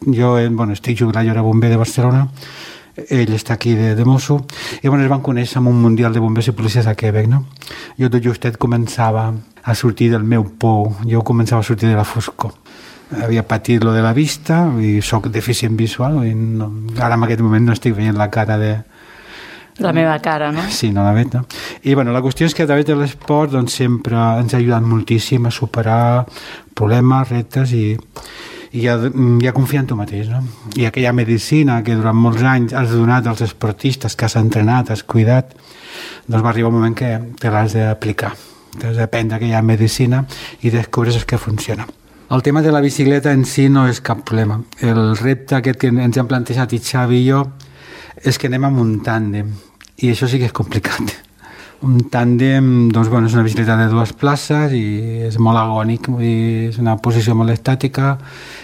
Jo bueno, estic jubilat, jo era bomber de Barcelona, ell està aquí de, de mosso, i bueno, es van conèixer en un mundial de bombers i policies a Quebec, no? Jo tot justet començava a sortir del meu pou, jo començava a sortir de la foscor. Havia patit lo de la vista i soc deficient visual, i no, ara en aquest moment no estic veient la cara de... La meva cara, no? Sí, no la veig, no? I bueno, la qüestió és que a través de l'esport doncs, sempre ens ha ajudat moltíssim a superar problemes, reptes i, i, a, i a confiar en tu mateix, no? I aquella medicina que durant molts anys has donat als esportistes, que has entrenat, has cuidat, doncs va arribar un moment que te l'has d'aplicar. T'has d'aprendre aquella medicina i descobres que funciona. El tema de la bicicleta en si no és cap problema. El repte aquest que ens hem plantejat i Xavi i jo és que anem amb un tàndem, i això sí que és complicat. Un tàndem, doncs, bueno, és una bicicleta de dues places i és molt agònic, vull dir, és una posició molt estàtica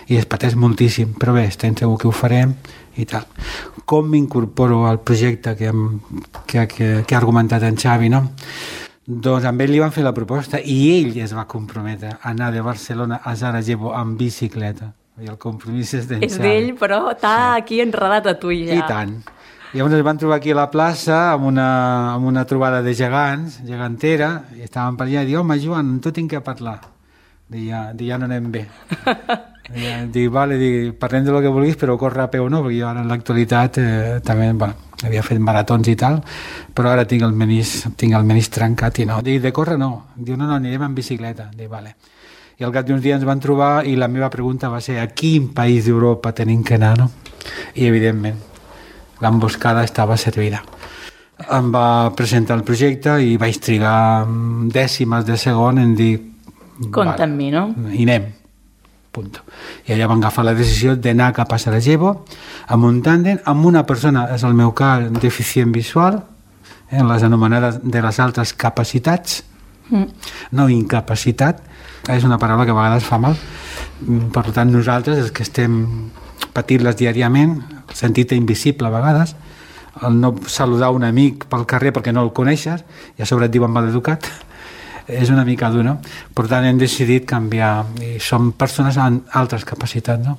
i es pateix moltíssim, però bé, estem segur que ho farem i tal. Com m'incorporo al projecte que, hem, que, que, que ha argumentat en Xavi, no? Doncs amb ell li van fer la proposta i ell es va comprometre a anar de Barcelona a Sarajevo amb bicicleta. I el compromís és d'en Xavi. És d'ell, però està sí. Aquí enredat a tu ja. I tant. I llavors ens van trobar aquí a la plaça amb una, amb una trobada de gegants, gegantera, i estàvem per allà i dic, home, Joan, amb tu tinc que parlar. Dic, ja, dic, ja no anem bé. Ja, dic, vale, dic, parlem de lo que vulguis, però córrer a peu no, perquè jo ara en l'actualitat eh, també, bueno, havia fet maratons i tal, però ara tinc el menis, tinc el menis trencat i no. Dic, de córrer no. Diu, no, no, anirem en bicicleta. Dic, vale. I al cap d'uns dies ens van trobar i la meva pregunta va ser a quin país d'Europa tenim que anar, no? I evidentment, l'emboscada estava servida. Em va presentar el projecte i vaig trigar dècimes de segon en dir... Compte amb mi, no? I anem. Punto. I allà van agafar la decisió d'anar cap a Sarajevo amb un tàndem, amb una persona, és el meu cas, deficient visual, eh, les anomenades de les altres capacitats, mm. no incapacitat, és una paraula que a vegades fa mal. Per tant, nosaltres, els que estem patint-les diàriament, el sentit invisible a vegades, el no saludar un amic pel carrer perquè no el coneixes, i a sobre et diuen maleducat, és una mica dur, no? Per tant, hem decidit canviar i som persones amb altres capacitats, no?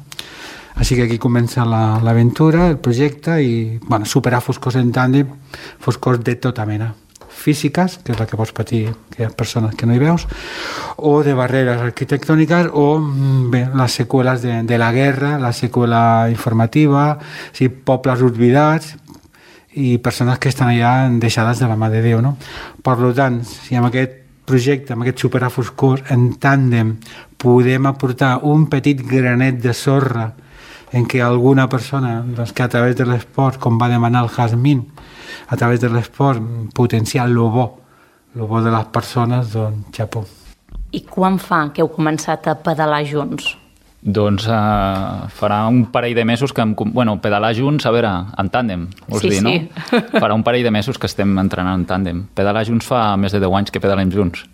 Així que aquí comença l'aventura, el projecte i, bueno, superar foscors en tàndem, foscors de tota mena, físiques, que és la que pots patir, que hi ha persones que no hi veus, o de barreres arquitectòniques, o bé, les seqüeles de, de la guerra, la seqüela informativa, sí, pobles oblidats i persones que estan allà deixades de la mà de Déu, no? Per tant, si amb aquest projecte, amb aquest superar foscors en tàndem podem aportar un petit granet de sorra en què alguna persona, doncs, que a través de l'esport, com va demanar el Jasmine, a través de l'esport potenciar lo bo, lo bo de les persones, doncs xapó. I quan fa que heu començat a pedalar junts? Doncs uh, farà un parell de mesos que... Em, bueno, pedalar junts, a veure, en tàndem, vols sí, dir, no? Sí. Farà un parell de mesos que estem entrenant en tàndem. Pedalar junts fa més de deu anys que pedalem junts.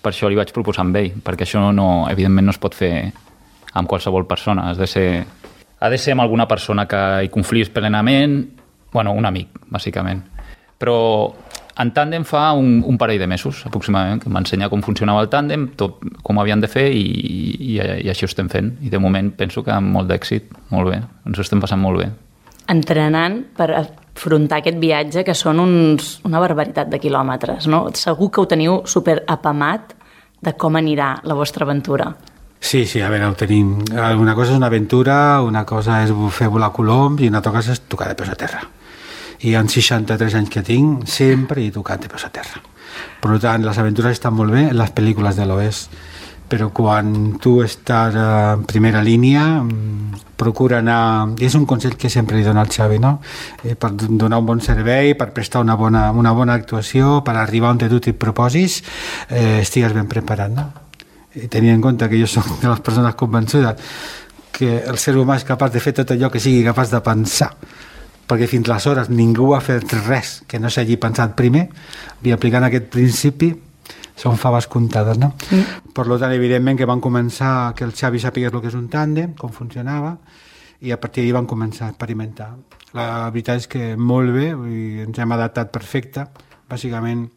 Per això li vaig proposar amb ell, perquè això no, evidentment no es pot fer amb qualsevol persona. Has de ser, ha de ser amb alguna persona que hi confiïs plenament, bueno, un amic, bàsicament. Però en tàndem fa un, un parell de mesos, aproximadament, que m'ensenya com funcionava el tàndem, tot com havien de fer i, i, i així ho estem fent. I de moment penso que amb molt d'èxit, molt bé, ens ho estem passant molt bé. Entrenant per afrontar aquest viatge, que són uns, una barbaritat de quilòmetres, no? Segur que ho teniu super apamat de com anirà la vostra aventura. Sí, sí, a veure, ho tenim. Una cosa és una aventura, una cosa és fer volar coloms i una altra cosa és tocar de peus a terra. I en seixanta-tres anys que tinc, sempre he tocat de peus a terra. Per tant, les aventures estan molt bé en les pel·lícules de l'oest, però quan tu estàs en primera línia, procura anar... I és un consell que sempre li dono al Xavi, no? Eh, per donar un bon servei, per prestar una bona, una bona actuació, per arribar on tu t'hi proposis, eh, estigues ben preparat, no? I tenint en compte que jo soc de les persones convençudes que el ser humà és capaç de fer tot allò que sigui capaç de pensar, perquè fins aleshores ningú ha fet res que no s'hagi pensat primer, i aplicant aquest principi són faves comptades, no? Mm. Per tant, evidentment que van començar que el Xavi sapigués el que és un tàndem, com funcionava, i a partir d'ahir van començar a experimentar. La veritat és que molt bé, i ens hem adaptat perfecte. Bàsicament,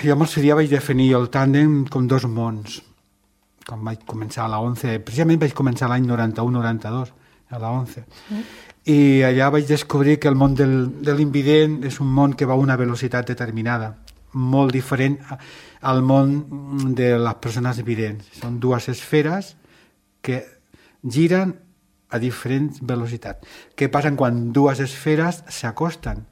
jo en el seu dia vaig definir el tàndem com dos mons. Quan vaig començar a la ONCE, precisament vaig començar l'any noranta-u noranta-dos, a la ONCE. Mm. I allà vaig descobrir que el món del, de l'invident és un món que va a una velocitat determinada, molt diferent al món de les persones vidents. Són dues esferes que giren a diferents velocitats. Què passa quan dues esferes s'acosten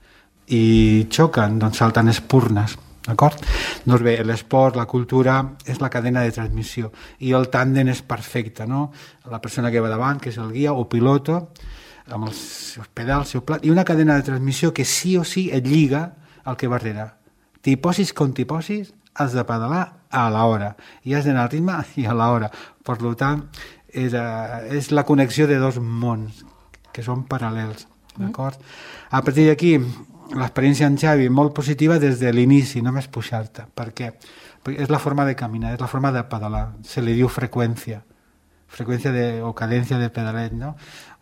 i xoquen? Doncs salten espurnes. D'acord? Doncs bé, l'esport, la cultura, és la cadena de transmissió i el tàndem és perfecte, no? La persona que va davant, que és el guia o piloto, amb els seus pedals, el seu plat, i una cadena de transmissió que sí o sí et lliga al que va darrere. T'hi posis com t'hi posis, has de pedalar a l'hora i has d'anar al ritme i a l'hora. Per tant, és, uh, és la connexió de dos mons que són paral·lels. D'acord? A partir d'aquí, l'experiència en Xavi molt positiva des de l'inici, només pujar-te. Per què? Perquè és la forma de caminar, és la forma de pedalar. Se li diu freqüència. Freqüència de, o cadència de pedalet, no?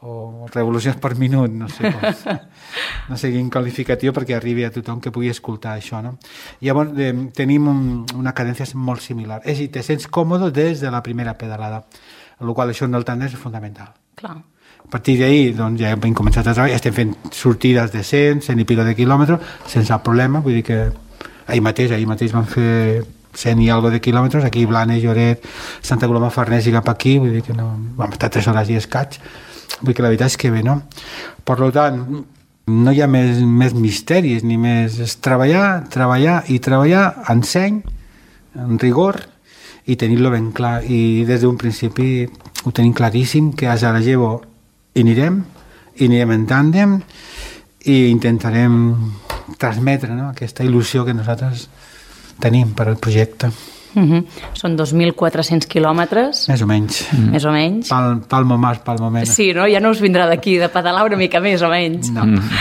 O revolucions per minut, no sé com. No sé quin qualificatiu perquè arribi a tothom que pugui escoltar això, no? Llavors, eh, tenim un, una cadència molt similar. És a dir, te sents còmode des de la primera pedalada, amb la qual això en el tàndem és fundamental. Clar. A partir d'ahir, doncs, ja hem començat a treballar, estem fent sortides de cent, cent i pico de quilòmetres, sense problema, vull dir que ahir mateix, ahir mateix vam fer cent i algo de quilòmetres, aquí Blanes, Lloret, Santa Coloma Farners i cap aquí, vull dir que no, vam estar tres hores i escaig, vull dir que la veritat és que bé, no? Per tant, no hi ha més, més misteris ni més, és treballar, treballar i treballar en seny, en rigor, i tenir-lo ben clar, i des d'un principi ho tenim claríssim, que a Sarajevo hi anirem, hi anirem en tàndem, i intentarem transmetre, no?, aquesta il·lusió que nosaltres tenim per al projecte. Uh-huh. Són dos mil quatre-cents quilòmetres. Més o menys. Mm. Més o menys. Pal, palmo más, palmo menos. Sí, no? Ja no us vindrà d'aquí, de pedalar una mica més o menys. No. Mm.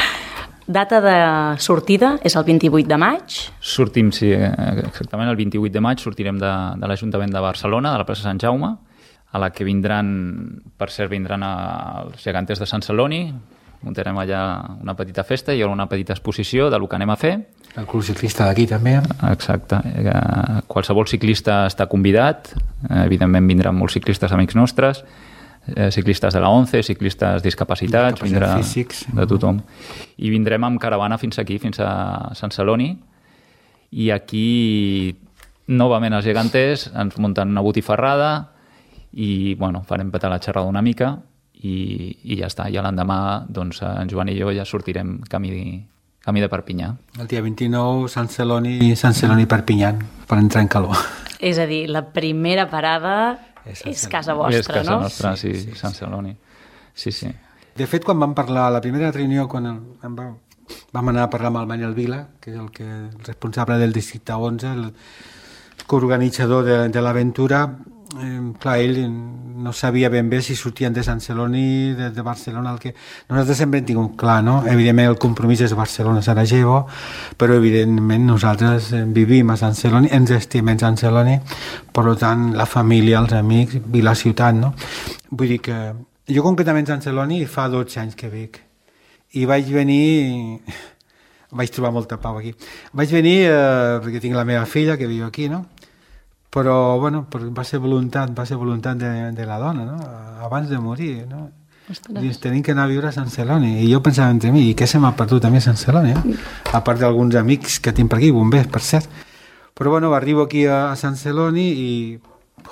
Data de sortida és el vint-i-vuit de maig. Sortim, sí, exactament el vint-i-vuit de maig sortirem de, de l'Ajuntament de Barcelona, de la plaça Sant Jaume, a la que vindran, per cert, vindran els geganters de Sant Celoni, muntarem allà una petita festa i una petita exposició de lo que anem a fer. El club ciclista d'aquí també. Exacte. Qualsevol ciclista està convidat. Evidentment vindran molts ciclistes amics nostres, ciclistes de la ONCE, ciclistes discapacitats, vindrà físics. De tothom. I vindrem amb caravana fins aquí, fins a Sant Celoni, i aquí novament els geganters ens munten una botifarrada i bueno, farem petar la xerrada una mica i, i ja està. I l'endemà doncs, en Joan i jo ja sortirem camí, camí de Perpinyà. El dia vint-i-nou, Sant Celoni, Sant Celoni Perpinyà, per entrar en calor. És a dir, la primera parada és, és casa vostra, és casa no? nostra, sí, sí, sí, sí, Sant Celoni. Sí, sí. De fet, quan vam parlar, la primera reunió, quan el, vam, vam anar a parlar amb el Manuel Vila, que és el, que, el responsable del districte onze, el coorganitzador de, de l'aventura, eh, clar, ell no sabia ben bé si sortien de Sant Celoni, de, de Barcelona, el que nosaltres sempre hem tingut clar, no? Evidentment el compromís és Barcelona-Sarajevo, però evidentment nosaltres vivim a Sant Celoni, ens estimem Sant Celoni, per tant la família, els amics i la ciutat, no? Vull dir que jo concretament a Sant Celoni fa dotze anys que vic i vaig venir, vaig trobar molta pau aquí, vaig venir eh, perquè tinc la meva filla que viu aquí, no? Però, bueno, va ser voluntat, va ser voluntat de, de la dona, no? Abans de morir, no? Dius, tenim que anar a viure a Sant Celoni. I jo pensava entre mi, i què se m'ha perdut a mi a Sant Celoni, eh? A part d'alguns amics que tinc per aquí, bombers, per cert. Però, bueno, arribo aquí a, a Sant Celoni i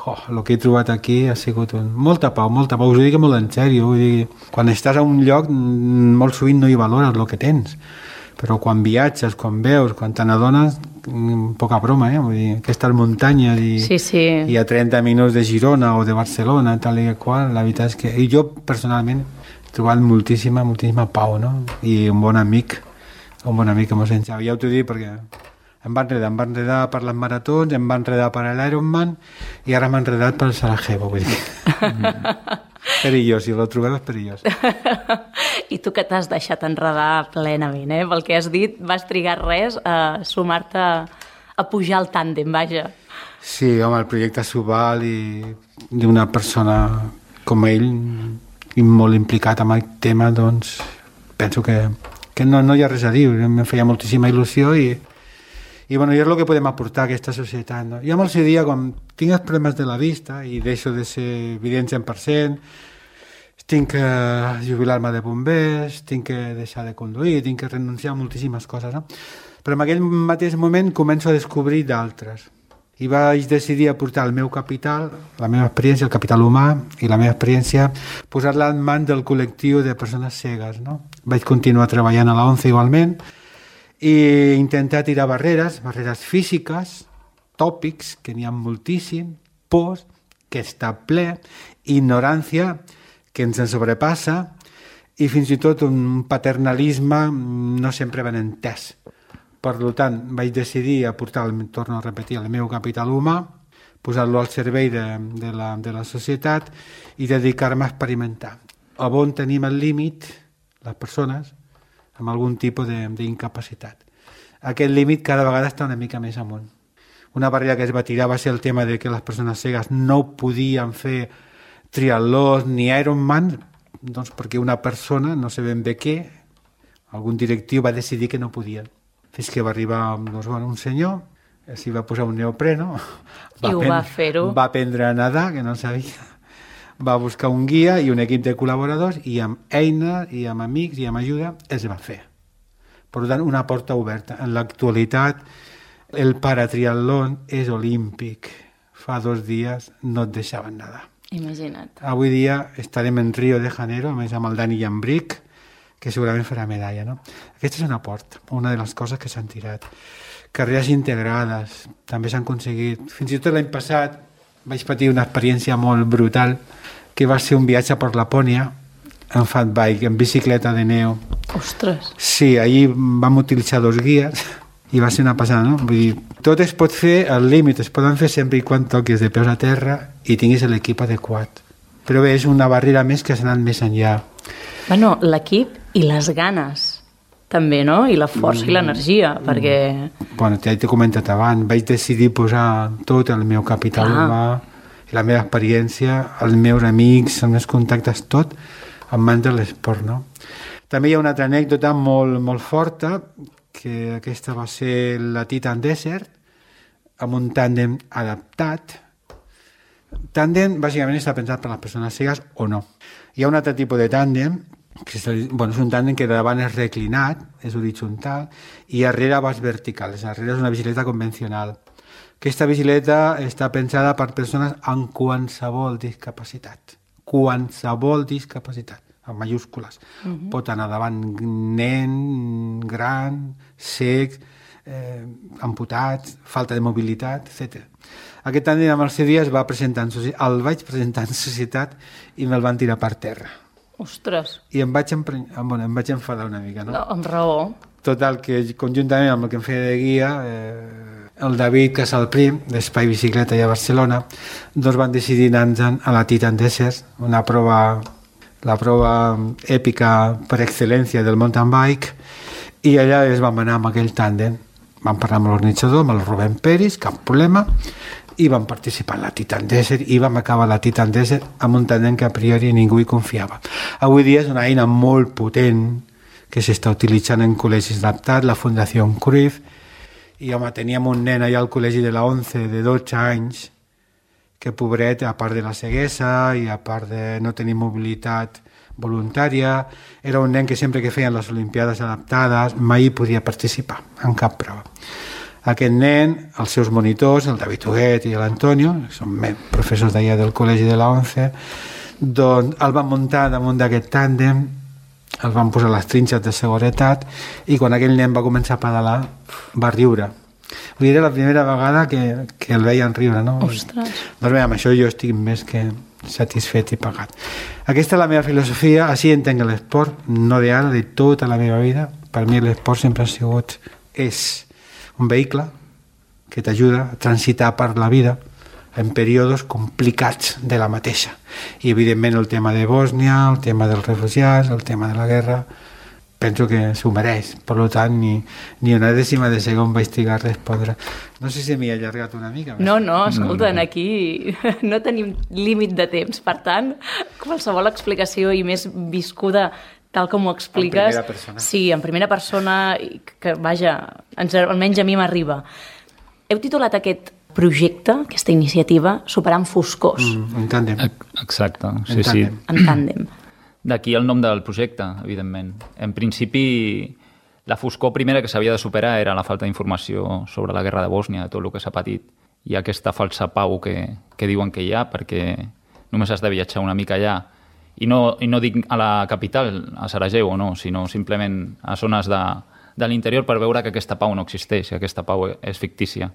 oh, el que he trobat aquí ha sigut un... molta pau, molta pau. Us ho dic molt en sèrio. Vull dir, quan estàs a un lloc, molt sovint no hi valores el que tens. Però quan viatges, quan veus, quan te n'adones, poca broma, eh? Vull dir, aquestes muntanyes i, sí, sí. i a trenta minuts de Girona o de Barcelona, tal i qual, la veritat és que... I jo, personalment, he trobat moltíssima, moltíssima pau, no? I un bon amic, un bon amic que mos enxava. Ja ho t'ho dic perquè em va enredar, em va enredar per les maratons, em va enredar per l'Ironman i ara m'ha enredat per el Sarajevo, vull dir. Perillós, si lo trobem és perillós. I tu que t'has deixat enredar plenament, eh? Pel que has dit, vas trigar res a sumar-te a pujar al tàndem, vaja. Sí, home, el projecte s'ho val i d'una persona com ell i molt implicat amb el tema, doncs penso que, que no, no hi ha res a dir. Em feia moltíssima il·lusió i i bueno, és el que podem aportar a aquesta societat, no? Jo amb el seu dia, quan tinc els problemes de la vista i deixo de ser evident cent per cent, tinc que jubilar-me de bombers, tinc que deixar de conduir, tinc que renunciar a moltíssimes coses, no? Però en aquell mateix moment començo a descobrir d'altres. I vaig decidir aportar el meu capital, la meva experiència, el capital humà i la meva experiència, posar-la en mans del col·lectiu de persones cegues, no? Vaig continuar treballant a la ONCE igualment, i intentar tirar barreres, barreres físiques, tòpics, que n'hi ha moltíssim, pors, que està ple, ignorància, que ens en sobrepassa, i fins i tot un paternalisme no sempre ben entès. Per tant, vaig decidir aportar, torno a repetir, el meu capital humà, posar-lo al servei de, de, la, de la societat i dedicar-me a experimentar. A on tenim el límit, les persones, amb algun tipus d'incapacitat. Aquest límit cada vegada està una mica més amunt. Una barrera que es va tirar va ser el tema de que les persones cegues no podien fer triatlons ni Ironman, doncs perquè una persona, no sé ben bé què, algun directiu va decidir que no podien. Fins que va arribar doncs, bueno, un senyor, s'hi va posar un neopreno, va I ho va fer-ho. Va aprendre a nedar, que no sabia, va buscar un guia i un equip de col·laboradors i amb eines i amb amics i amb ajuda es va fer. Per tant, una porta oberta. En l'actualitat El paratriatlón és olímpic. Fa dos dies no et deixaven nedar. Imagina't. Avui dia estarem en Rio de Janeiro, a més amb el Dani Llambric, que segurament farà medalla, no? Aquesta és una port, una de les coses que s'han tirat. Carreres integrades, també s'han aconseguit. Fins i tot l'any passat vaig patir una experiència molt brutal, que va ser un viatge per Lapònia, en fat bike, en bicicleta de neu. Ostres! Sí, allí vam utilitzar dos guies, i va ser una passada, no? Vull dir, tot es pot fer, al límit es poden fer sempre i quan toquis de peus a terra i tinguis l'equip adequat. Però bé, és una barrera més que s'ha anat més enllà. Bueno, l'equip i les ganes, també, no? I la força mm. i l'energia, perquè... Bueno, ja t'he comentat abans, vaig decidir posar tot el meu capital humà, la meva experiència, els meus amics, els meus contactes, tot, en mans de l'esport, no? També hi ha una altra anècdota molt, molt forta, que aquesta va ser la Titan Desert, amb un tàndem adaptat. Tàndem, bàsicament, està pensat per les persones cegues o no. Hi ha un altre tipus de tàndem, que és, bueno, és un tàndem que davant és reclinat, és horitzontal, i darrere vas vertical. Darrere és una bicicleta convencional. Aquesta bicicleta està pensada per persones amb qualsevol discapacitat. Qualsevol discapacitat. amb mayúscules. Uh-huh. Pot anar davant nen, gran, cec, eh, amputat, falta de mobilitat, etcètera. Aquest any amb els dies va presentar en societat, el vaig presentar en societat i me'l van tirar per terra. Ostres! I em vaig, empre... bueno, em vaig enfadar una mica, no? No, amb raó. Total, que conjuntament amb el que em feia de guia, eh, el David Casalprim, d'Espai Bicicleta a Barcelona, doncs van decidir anar-nos a la Titan Desert, una prova, la prova èpica per excel·lència del mountain bike, i allà es vam anar amb aquell tàndem. Vam parlar amb l'organitzador, amb el Rubén Peris, cap problema, i vam participar en la Titan Desert i vam acabar la Titan Desert amb un tàndem que a priori ningú hi confiava. Avui dia és una eina molt potent que s'està utilitzant en col·legis adaptats, la Fundació Cruyff, i home, teníem un nen allà al col·legi de la ONCE de dotze anys que, pobret, a part de la ceguesa i a part de no tenir mobilitat voluntària, era un nen que sempre que feien les Olimpiades adaptades mai podia participar en cap prova. Aquest nen, els seus monitors, el David Huguet i l'Antonio, que són professors d'allà del col·legi de la ONCE, doncs el van muntar damunt d'aquest tàndem, el van posar les trinxes de seguretat i quan aquell nen va començar a pedalar va riure. Vull dir, era la primera vegada que, que el veien riure, no? Ostres! Doncs bé, amb això jo estic més que satisfet i pagat. Aquesta és la meva filosofia, així entenc l'esport, no d'ara, de tota la meva vida. Per mi l'esport sempre ha sigut, és un vehicle que t'ajuda a transitar per la vida en períodes complicats de la mateixa. I, evidentment, el tema de Bòsnia, el tema dels refugiats, el tema de la guerra, penso que s'ho mereix. Per tant, ni, ni una dècima de segon vaig trigar a respondre. No sé si m'hi he allargat una mica. No, no, escolta, no, no. Aquí no tenim límit de temps. Per tant, qualsevol explicació i més viscuda tal com ho expliques... En primera persona. Sí, en primera persona, que, vaja, almenys a mi m'arriba. Heu titulat aquest projecte, aquesta iniciativa, Superant Foscors. Mm, en tàndem. Exacte, sí, en sí. En tàndem. D'aquí el nom del projecte, evidentment. En principi, la foscor primera que s'havia de superar era la falta d'informació sobre la guerra de Bòsnia, de tot el que s'ha patit, i aquesta falsa pau que, que diuen que hi ha, perquè només has de viatjar una mica allà. I no, i no dic a la capital, a Sarajevo, no, sinó simplement a zones de, de l'interior per veure que aquesta pau no existeix, que aquesta pau és fictícia.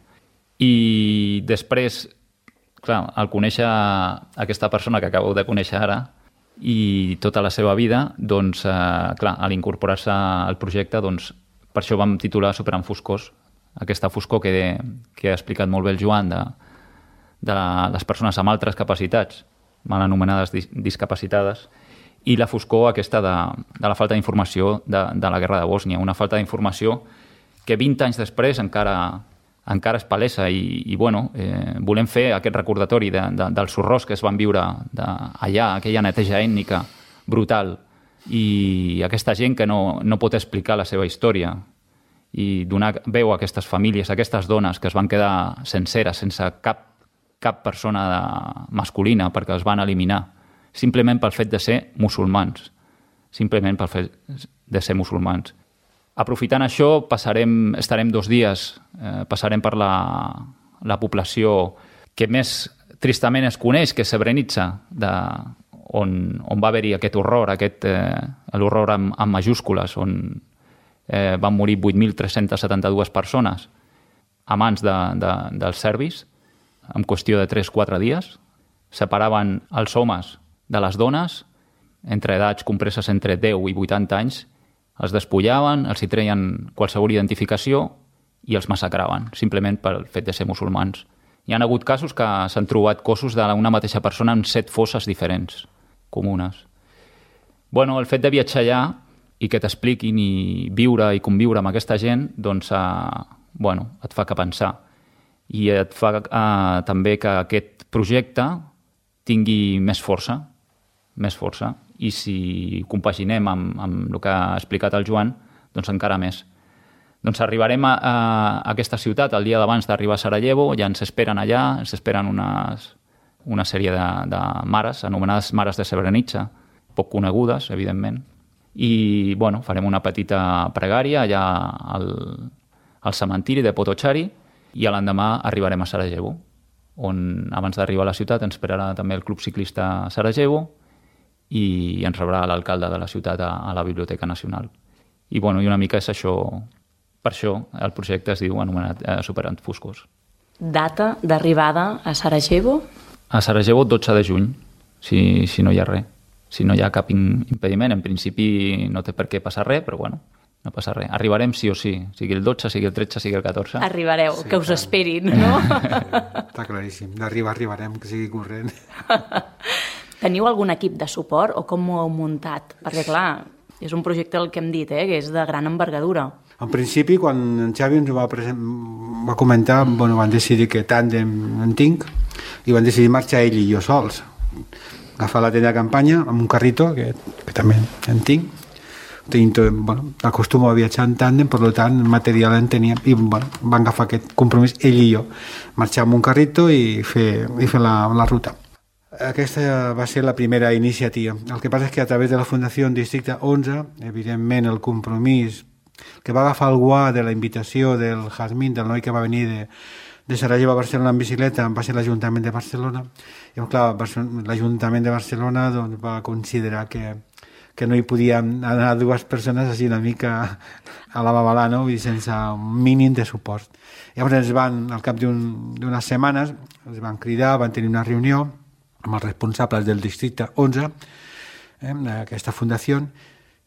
I després, clar, al conèixer aquesta persona que acabeu de conèixer ara i tota la seva vida, doncs, eh, clar, a l'incorporar-se al projecte, doncs, per això vam titular Superant Foscors, aquesta foscor que, que ha explicat molt bé el Joan de, de la, les persones amb altres capacitats, mal anomenades dis, discapacitades, i la foscor aquesta de, de la falta d'informació de, de la guerra de Bòsnia, una falta d'informació que vint anys després encara... encara és palesa i, i bueno, eh, volem fer aquest recordatori de, de, dels horrors que es van viure de, allà, aquella neteja ètnica brutal i aquesta gent que no, no pot explicar la seva història i donar veu a aquestes famílies, a aquestes dones que es van quedar senceres, sense cap, cap persona de, masculina perquè els van eliminar, simplement pel fet de ser musulmans, simplement pel fet de ser musulmans. aprofitant això, passarem, estarem dos dies, eh, passarem per la, la població que més tristament es coneix, que és Srebrenica, de, on, on va haver-hi aquest horror, aquest, eh, l'horror amb, amb majúscules, on eh, van morir vuit mil tres-cents setanta-dues persones a mans de, de, dels serbis, en qüestió de tres o quatre dies. Separaven els homes de les dones, entre edats compreses entre deu i vuitanta anys, els despullaven, els hi treien qualsevol identificació i els massacraven, simplement pel fet de ser musulmans. Hi ha hagut casos que s'han trobat cossos d'una mateixa persona en set fosses diferents, comunes. Bueno, el fet de viatjar allà i que t'expliquin i viure i conviure amb aquesta gent, doncs, eh, bueno, et fa que pensar. I et fa eh, també que aquest projecte tingui més força, més força. I si compaginem amb, amb el que ha explicat el Joan, doncs encara més. Doncs arribarem a, a aquesta ciutat el dia d'abans d'arribar a Sarajevo, ja ens esperen allà, ens esperen unes, una sèrie de, de mares, anomenades mares de Srebrenica, poc conegudes, evidentment. I, bueno, farem una petita pregària allà al, al cementiri de Potocari i a l'endemà arribarem a Sarajevo, on abans d'arribar a la ciutat ens esperarà també el Club Ciclista Sarajevo i ens rebrà l'alcalde de la ciutat a, a la Biblioteca Nacional. I, bueno, i una mica és això, per això el projecte es diu anomenat eh, Superant Foscors. Data d'arribada a Sarajevo? A Sarajevo dotze de juny, si, si no hi ha res. Si no hi ha cap impediment, en principi no té per què passar res, però bueno, no passa res. Arribarem sí o sí, sigui el dotze, sigui el tretze, sigui el catorze. Arribareu, sí, que us clar. Esperin, no? Està claríssim, d'arribar arribarem, que sigui corrent. Teniu algun equip de suport o com ho heu muntat? Perquè, clar, és un projecte, el que hem dit, eh, que és de gran envergadura. En principi, quan en Xavi ens va, present, va comentar, bueno, van decidir que tàndem en tinc i van decidir marxar ell i jo sols. Agafar la tenda de campanya amb un carrito, que, que també en tinc. Tenim tot, bueno, acostumo a viatjar en tàndem, per tant, material en teníem. I bueno, van agafar aquest compromís, ell i jo. Marxar amb un carrito i fer, i fer la, la ruta. Aquesta va ser la primera iniciativa. El que passa és que a través de la Fundació Districte onze, evidentment el compromís que va agafar el guà de la invitació del Jazmín, del noi que va venir de, de Sarajevo a Barcelona en bicicleta, va ser l'Ajuntament de Barcelona. I clar, l'Ajuntament de Barcelona doncs, va considerar que, que no hi podien anar dues persones així una mica a la babalà, no? I sense un mínim de suport. Llavors ens van, al cap d'unes setmanes, ens van cridar, van tenir una reunió amb els responsables del districte onze, eh, aquesta fundació,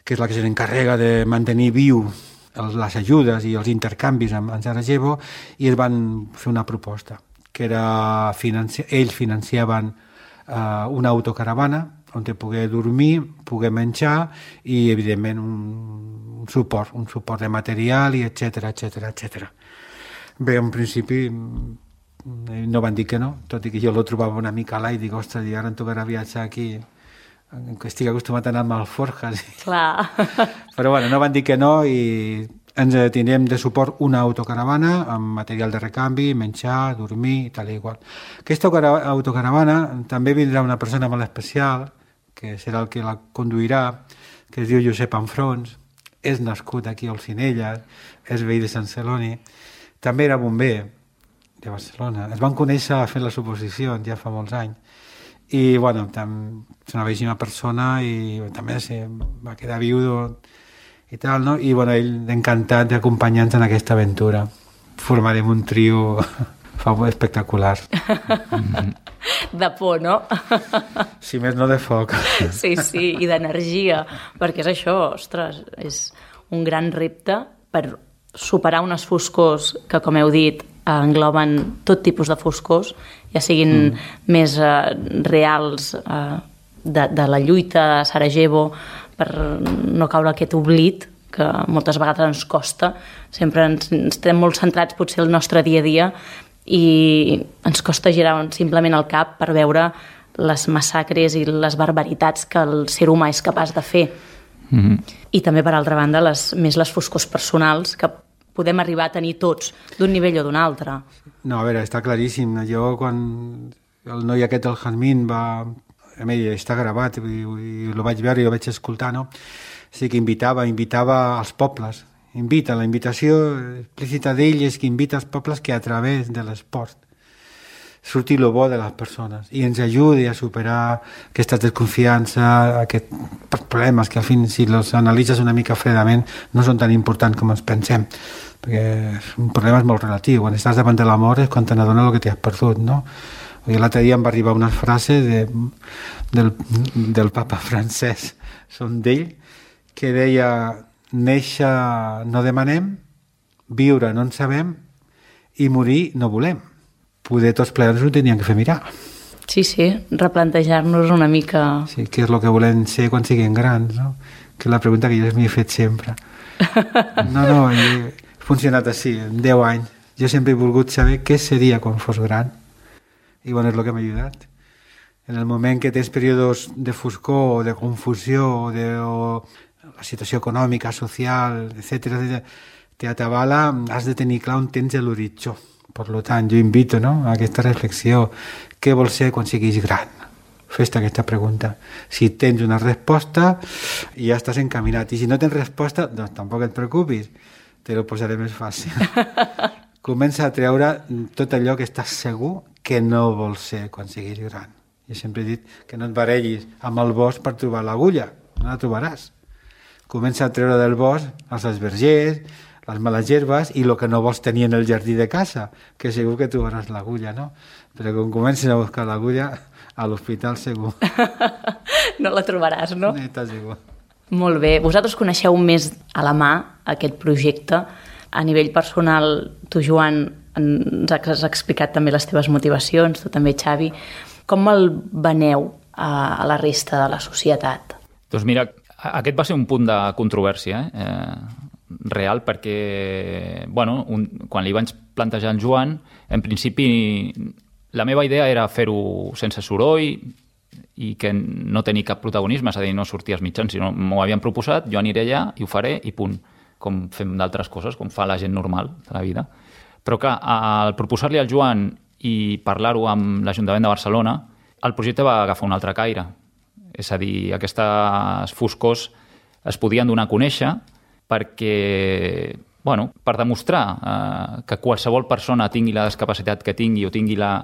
que és la que s'encarrega de mantenir viu els, les ajudes i els intercanvis amb, amb Sarajevo, i es van fer una proposta, que era, financi ells financiaven eh, una autocaravana on te poder dormir, poder menjar i, evidentment, un, un suport, un suport de material, i etcètera, etcètera, etcètera. Bé, en principi no van dir que no, tot i que jo lo trobava una mica a l'ai, dic, ostres, i ara em tocarà viatjar aquí, que estic acostumat a anar amb alforjas. Clar. Però bueno, no van dir que no i ens tindrem de suport una autocaravana amb material de recanvi, menjar, dormir i tal i igual. Aquesta autocaravana també vindrà una persona molt especial, que serà el que la conduirà, que es diu Josep Anfrons, és nascut aquí a Olzinelles, és veí de Sant Celoni, també era bomber de Barcelona. Es van conèixer fent les oposicions ja fa molts anys. I, bueno, és una bellíssima persona i també se va quedar viudo i tal, no? I, bueno, ell encantat d'acompanyar-nos en aquesta aventura. Formarem un trio espectacular. De por, no? Si més no de foc. Sí, sí, i d'energia, perquè és això, ostres, és un gran repte per superar unes foscors que, com heu dit, engloben tot tipus de foscors, ja siguin mm. més eh, reals eh, de, de la lluita a Sarajevo, per no caure aquest oblit que moltes vegades ens costa. Sempre ens, ens estem molt centrats potser el nostre dia a dia i ens costa girar simplement el cap per veure les massacres i les barbaritats que el ser humà és capaç de fer. Mm-hmm. I també, per altra banda, les, més les foscors personals que podem arribar a tenir tots, d'un nivell o d'un altre. No, a veure, està claríssim. Jo, quan el noi aquest, el Jazmín, va... A mi està gravat, i, i el vaig veure i el vaig escoltar, no? Sí que invitava, invitava als pobles, invita. La invitació explícita d'ell és que invita els pobles que a través de l'esport surti el bo de les persones i ens ajudi a superar aquesta desconfiança, aquests problemes que al fin, si els analitzes una mica fredament, no són tan importants com ens pensem, perquè un problema és molt relatiu. Quan estàs davant de la mort és quan te n'adones el que t'has perdut, no? L'altre dia em va arribar una frase de, del, del papa francès, són d'ell, que deia: néixer no demanem, viure no en sabem i morir no volem. Poder tots plegats ho tenien que fer mirar. Sí, sí, replantejar-nos una mica... Sí, què és el que volem ser quan siguem grans, no? Que és la pregunta que jo m'he fet sempre. No, no, he funcionat així, en deu anys. Jo sempre he volgut saber què seria quan fos gran. I bueno, és el que m'ha ajudat. En el moment que tens períodes de foscor o de confusió o, de, o la situació econòmica, social, etcètera, te atabala, has de tenir clar on tens l'horitzó. Per tant, jo invito, no, a aquesta reflexió. Què vols ser quan siguis gran? Fes-te aquesta pregunta. Si tens una resposta, ja estàs encaminat. I si no tens resposta, doncs tampoc et preocupis. Te lo posaré més fàcil. Comença a treure tot allò que estàs segur que no vols ser quan siguis gran. Jo sempre he dit que no et barellis amb el bosc per trobar l'agulla. No la trobaràs. Comença a treure del bosc els esvergers, les males herbes i el que no vols tenir en el jardí de casa, que segur que trobaràs l'agulla, no? Però quan comences a buscar l'agulla, a l'hospital segur. No la trobaràs, no? No estàs segur. Molt bé. Vosaltres coneixeu més a la mà aquest projecte. A nivell personal, tu, Joan, ens has explicat també les teves motivacions, tu també, Xavi. Com el veneu a la resta de la societat? Doncs mira, aquest va ser un punt de controvèrsia, eh? eh real, perquè bueno, un, quan li vaig plantejar al Joan, en principi la meva idea era fer-ho sense soroll i que no tenir cap protagonisme, és a dir, no sortir als mitjans, sinó m'ho havien proposat, jo aniré allà i ho faré i punt, com fem d'altres coses, com fa la gent normal de la vida. Però clar, al proposar-li al Joan i parlar-ho amb l'Ajuntament de Barcelona, el projecte va agafar un altre caire. És a dir, aquestes foscors es podien donar a conèixer perquè, bueno, per demostrar eh, que qualsevol persona tingui la discapacitat que tingui o tingui la,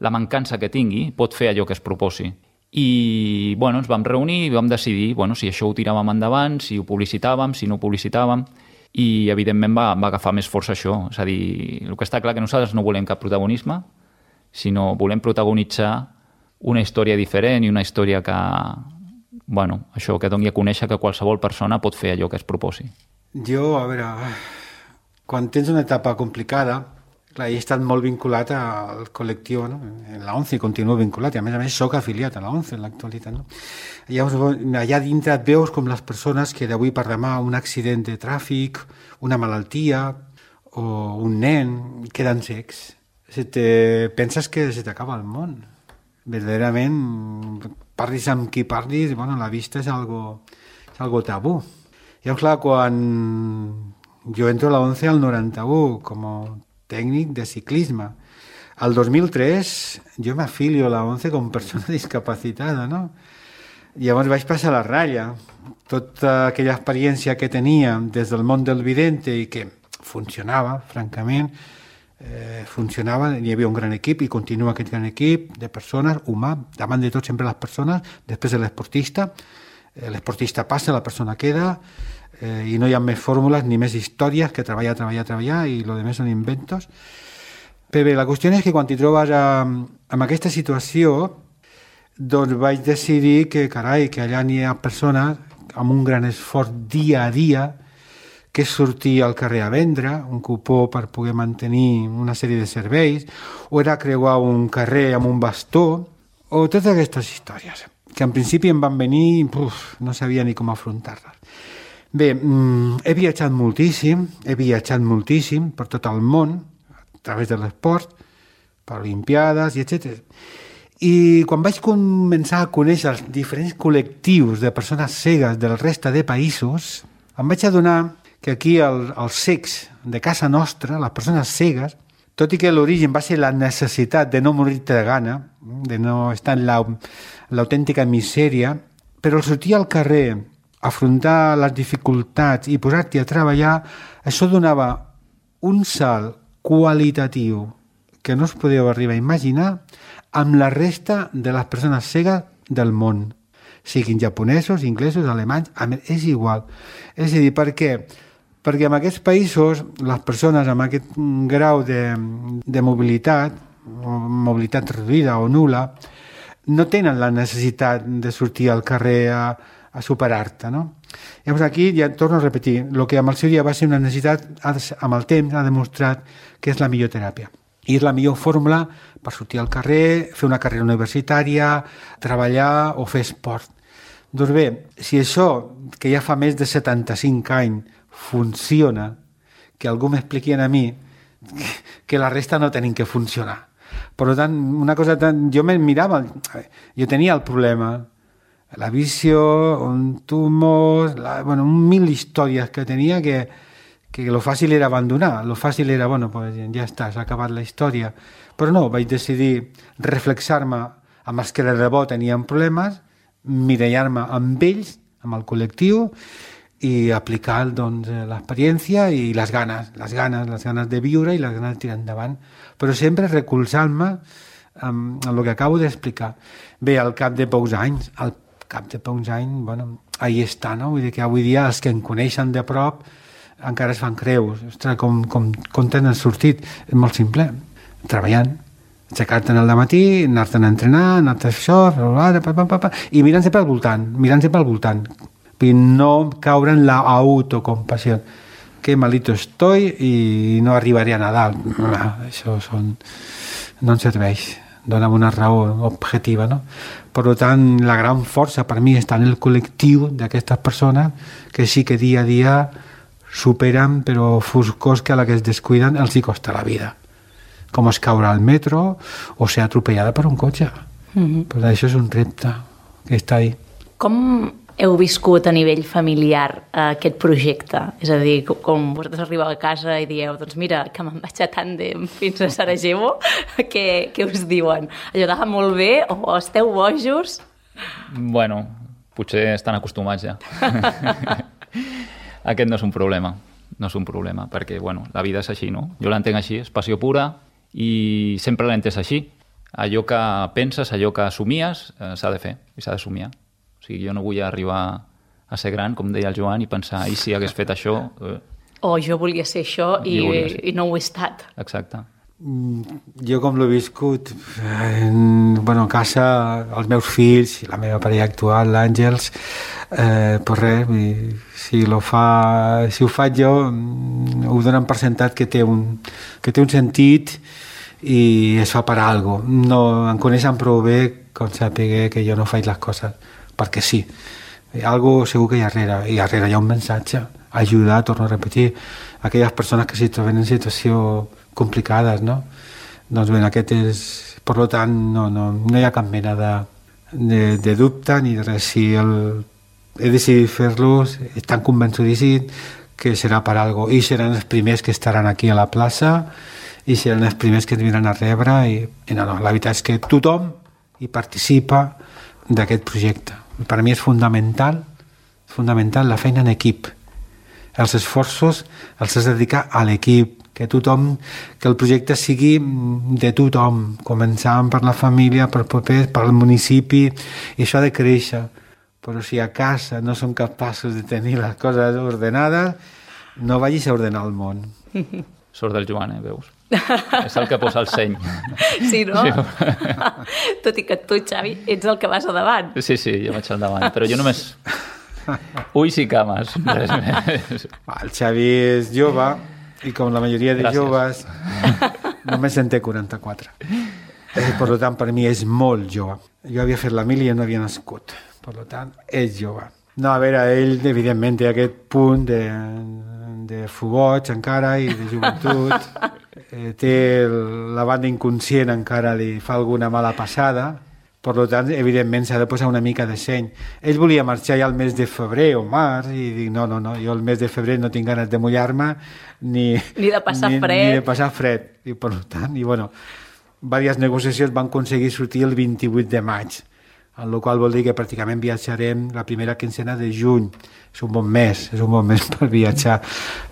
la mancança que tingui, pot fer allò que es proposi. I bueno, ens vam reunir i vam decidir bueno, si això ho tiràvem endavant, si ho publicitàvem, si no ho publicitàvem, i evidentment va, va agafar més força això. És a dir, el que està clar que nosaltres no volem cap protagonisme, sinó volem protagonitzar una història diferent i una història que... bueno, això, que doni a conèixer que qualsevol persona pot fer allò que es proposi. Jo, a veure, quan tens una etapa complicada, clar, he estat molt vinculat al col·lectiu, no? En la ONCE continuo vinculat, i a més a més soc afiliat a la ONCE en l'actualitat, no? Llavors, allà dintre et veus com les persones que d'avui per demà un accident de tràfic, una malaltia o un nen queden cecs. Se te... penses que se t'acaba el món. Verdaderament, parlis amb qui parlis, bueno, la vista és algo, és algo tabú. Llavors, clar, quan jo entro a la ONCE al noranta-u com a tècnic de ciclisme, al dos mil tres jo m'afilio a la ONCE com persona discapacitada, no? Llavors vaig passar la ratlla. Tota aquella experiència que tenia des del món del vidente i que funcionava, francament, Eh, funcionava, hi havia un gran equip i continua aquest gran equip de persones, humà, davant de tot sempre les persones, després de l'esportista, eh, l'esportista passa, la persona queda, eh, i no hi ha més fórmules ni més històries que treballar, treballar, treballar i lo demés són inventos. Però bé, la qüestió és que quan t'hi trobes amb, amb aquesta situació, doncs vaig decidir que, carai, que allà n'hi ha persones amb un gran esforç dia a dia, que és sortir al carrer a vendre, un cupó per poder mantenir una sèrie de serveis, o era creuar un carrer amb un bastó, o totes aquestes històries, que en principi em van venir, uf, no sabia ni com afrontar-les. Bé, he viatjat moltíssim, he viatjat moltíssim per tot el món, a través de l'esport, per olimpiades, i etcètera. I quan vaig començar a conèixer els diferents col·lectius de persones cegues del resta de països, em vaig adonar que aquí el, els cecs de casa nostra, les persones cegues, tot i que l'origen va ser la necessitat de no morir-te de gana, de no estar en l'autèntica misèria, però al sortir al carrer afrontar les dificultats i posar-t'hi a treballar, això donava un salt qualitatiu que no us podeu arribar a imaginar amb la resta de les persones cegues del món, siguin japonesos, inglesos, alemanys, és igual. És a dir, per què? Perquè en aquests països les persones amb aquest grau de, de mobilitat, mobilitat reduïda o nul·la, no tenen la necessitat de sortir al carrer a, a superar-te, no? Llavors aquí ja torno a repetir, el que amb el seu dia va ser una necessitat, amb el temps ha demostrat que és la millor teràpia. I és la millor fórmula per sortir al carrer, fer una carrera universitària, treballar o fer esport. Doncs bé, si això, que ja fa més de setanta-cinc anys, funciona, que algú m'expliqui a mi que la resta no tenim que funcionar. Per tant, una cosa tan... Jo me mirava, jo tenia el problema, la visió, un tumor, la, bueno, un mil històries que tenia que, que lo fàcil era abandonar, lo fàcil era, bueno, pues ja està, s'ha acabat la història. Però no, vaig decidir reflexar-me amb els que de debò tenien problemes, mirallar-me amb ells, amb el col·lectiu, i aplicar doncs, l'experiència i les ganes, les ganes, les ganes de viure i les ganes de tirar endavant. Però sempre recolzant-me amb, amb el que acabo d'explicar. Bé, al cap de pocs anys, al cap de pocs anys, bueno, ahí està, no? Vull dir que avui dia els que em coneixen de prop encara es fan creus. Ostres, com, com, com tenen sortit? És molt simple, treballant. Aixecar-te'n al matí, anar-te'n a entrenar, anar-te'n a fer això, pa, pa, pa, pa, i mirant sempre al voltant, mirant sempre al voltant. I no caure en la autocompassió. Que malito estoy i no arribaré a Nadal. No, això són... no em serveix. Dóna'm una raó objectiva, no? Per tant, la gran força per mi està en el col·lectiu d'aquestes persones que sí que dia a dia superen, però foscors que a la que es descuiden els hi costa la vida. Com es caure al metro o ser atropellada per un cotxe. Mm-hmm. Però això és un repte que està ahí. Com heu viscut a nivell familiar aquest projecte? És a dir, com vosaltres arribeu a casa i dieu, doncs mira, que me'n vaig a Tàndem fins a Sarajevo, què, què us diuen? Allò anava molt bé o esteu bojos? Bueno, potser estan acostumats ja. Aquest no és un problema, no és un problema, perquè bueno, la vida és així, no? Jo l'entenc així, és passió pura i sempre l'he entès així. Allò que penses, allò que assumies, eh, s'ha de fer i s'ha de somiar. O sigui, jo no vull arribar a ser gran, com deia el Joan, i pensar, i si hagués fet això... Eh... O jo volia ser això i, i no ho he estat. Exacte. Jo com l'he viscut, eh, bueno, a casa, els meus fills, la meva parella actual, l'Àngels, eh, pues res, si, lo fa, si ho faig jo, ho donen per sentat que té un, que té un sentit i es fa per algo. No, em coneixen prou bé com sàpiga que jo no faig les coses perquè sí. Algo segur que hi ha darrere, i darrere hi ha un missatge, ajudar, torno a repetir, aquelles persones que s'hi troben en situació complicades, no? Doncs bé, aquest és... Per tant, no, no, no hi ha cap mena de, de, de dubte ni de res. Si el, he decidit fer-los, estan convençudíssims que serà per algo, i seran els primers que estaran aquí a la plaça i seran els primers que ens vindran a rebre i, i no, no, la veritat és que tothom hi participa d'aquest projecte. Per a mi és fundamental, fundamental la feina en equip. Els esforços els has de dedicar a l'equip, que tothom, que el projecte sigui de tothom, començant per la família, per propers, pel municipi, i això ha de créixer. Però si a casa no som capaços de tenir les coses ordenades, no vagis a ordenar el món. Sort del Joan, eh, veus? És el que posa el seny. Sí, no? Sí. Tot i que tu, Xavi, ets el que vas a davant. Sí, sí, jo vaig al davant, però jo només... Ulls i cames, res més. El Xavi és jove i com la majoria de Gràcies. Joves només en té quaranta-quatre. Per tant, per mi és molt jove. Jo havia fet la mili i no havia nascut. Per tant, és jove. No, a veure, ell evidentment té aquest punt de, de fugoig encara i de joventut. Eh, té la banda inconscient, encara li fa alguna mala passada. Per tant, evidentment, s'ha de posar una mica de seny. Ell volia marxar ja al mes de febrer o març i dic, no, no, no, jo el mes de febrer no tinc ganes de mullar-me ni, ni de passar ni, fred. Ni de passar fred. I, per tant, i bueno, diverses negociacions van aconseguir sortir el vint-i-vuit de maig. en la qual vol dir que pràcticament viatjarem la primera quincena de juny. És un bon mes, és un bon mes per viatjar.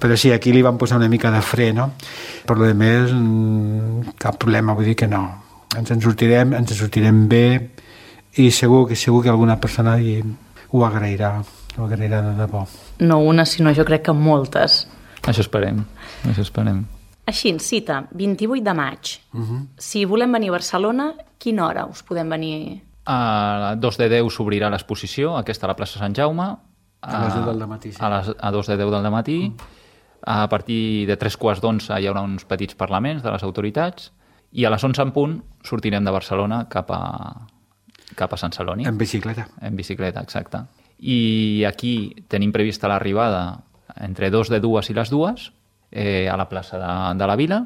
Però sí, aquí li van posar una mica de fre, no? Per lo demés, cap problema, vull dir que no. Ens en sortirem, ens en sortirem bé i segur que segur que alguna persona ho agrairà, ho agrairà de debò. No una, sinó jo crec que moltes. Això esperem, això esperem. Així, cita, vint-i-vuit de maig. Uh-huh. Si volem venir a Barcelona, quina hora us podem venir? A dos de deu s'obrirà l'exposició, aquesta a la plaça Sant Jaume. A, a les deu del matí, sí. A, les, a dos de deu del matí. Mm. A partir de tres quarts d'onze hi haurà uns petits parlaments de les autoritats i a les onze en punt sortirem de Barcelona cap a, cap a Sant Celoni. En bicicleta. En bicicleta, exacte. I aquí tenim prevista l'arribada entre dos de dues i les dues eh, a la plaça de, de la Vila,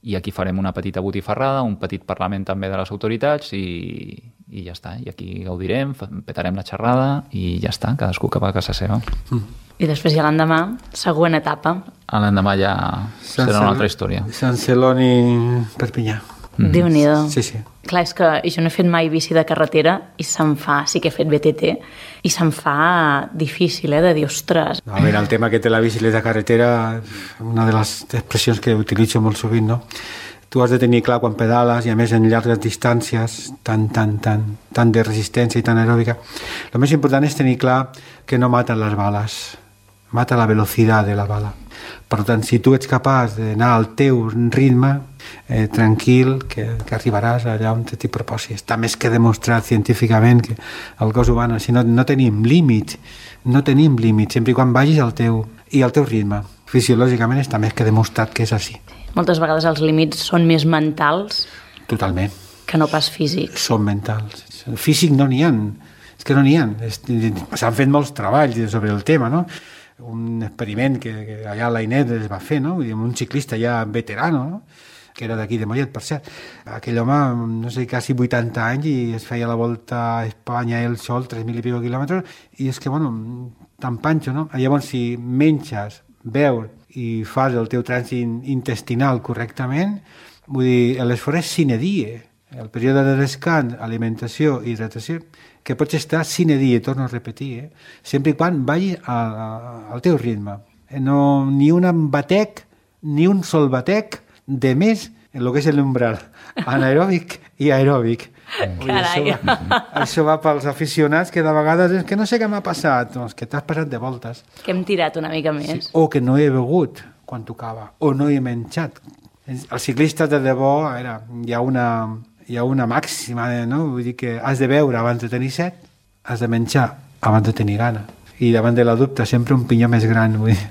i aquí farem una petita botifarrada, un petit parlament també de les autoritats i, i ja està. I aquí gaudirem, petarem la xerrada i ja està, cadascú cap a casa seva. Mm. I després ja l'endemà, següent etapa. A l'endemà ja serà una altra història. Sant Celoni, Perpinyà. Mm. Déu-n'hi-do. Sí, sí. Clar, és que jo no he fet mai bici de carretera i se'm fa, sí que he fet B T T, i se'm fa difícil, eh, de dir, ostres. A veure, el tema que té la bicicleta carretera, una de les expressions que utilitzo molt sovint, no? Tu has de tenir clar quan pedales i a més en llargues distàncies tan, tan, tan, tan de resistència i tan aeròbica. El més important és tenir clar que no maten les bales, mata la velocitat de la bala. Per tant, si tu ets capaç d'anar al teu ritme, eh, tranquil, que, que arribaràs allà on t'hi proposis. Està més que demostrat científicament que el cos humà, si no, no tenim límit, no tenim límit, sempre i quan vagis al teu, i al teu ritme. Fisiològicament està més que demostrat que és així. Moltes vegades els límits són més mentals. Totalment. Que no pas físics. Són mentals. Físic no n'hi ha. És que no n'hi ha. S'han fet molts treballs sobre el tema, no? Un experiment que, que allà a l'Ainet es va fer, no? Un ciclista ja veterano, no? Que era d'aquí de Mollet, per cert. Aquell home, no sé, quasi vuitanta anys i es feia la volta a Espanya ell sol, tres mil i pico quilòmetres, i és que, bueno, tan panxo, no? Llavors, si menges, beus i fas el teu trànsit intestinal correctament, vull dir, l'esforç és sine die. El període de descans, alimentació i hidratació, que pots estar sine die, torno a repetir, eh? Sempre i quan vagi a, a, al teu ritme. No, ni un batec, ni un sol batec de més en el que és l'umbral anaeròbic i aeròbic. Carai. Això va, això va pels aficionats que de vegades és que no sé què m'ha passat, doncs que t'has passat de voltes. Que hem tirat una mica més. Sí. O que no he begut quan tocava, o no he menjat. Els ciclistes de debò, a veure, hi ha una, hi ha una màxima, no? Vull dir que has de beure abans de tenir set, has de menjar abans de tenir gana. I davant de la dubte sempre un pinyó més gran. Vull dir.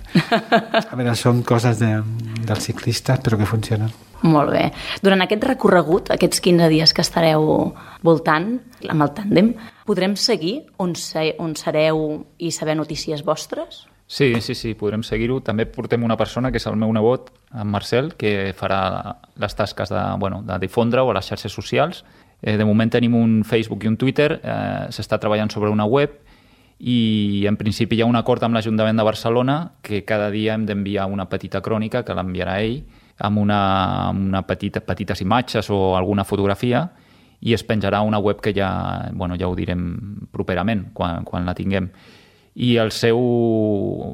A veure, són coses de, dels ciclistes, però que funcionen. Molt bé. Durant aquest recorregut, aquests quinze dies que estareu voltant amb el tàndem, podrem seguir on, se, on sereu i saber notícies vostres? Sí, sí, sí, podrem seguir-ho. També portem una persona, que és el meu nebot, en Marcel, que farà les tasques de, bueno, de difondre-ho a les xarxes socials. Eh, de moment tenim un Facebook i un Twitter, eh, s'està treballant sobre una web i en principi hi ha un acord amb l'Ajuntament de Barcelona que cada dia hem d'enviar una petita crònica que l'enviarà ell amb una, una petita, petites imatges o alguna fotografia i es penjarà a una web que ja, bueno, ja ho direm properament quan, quan la tinguem. I el seu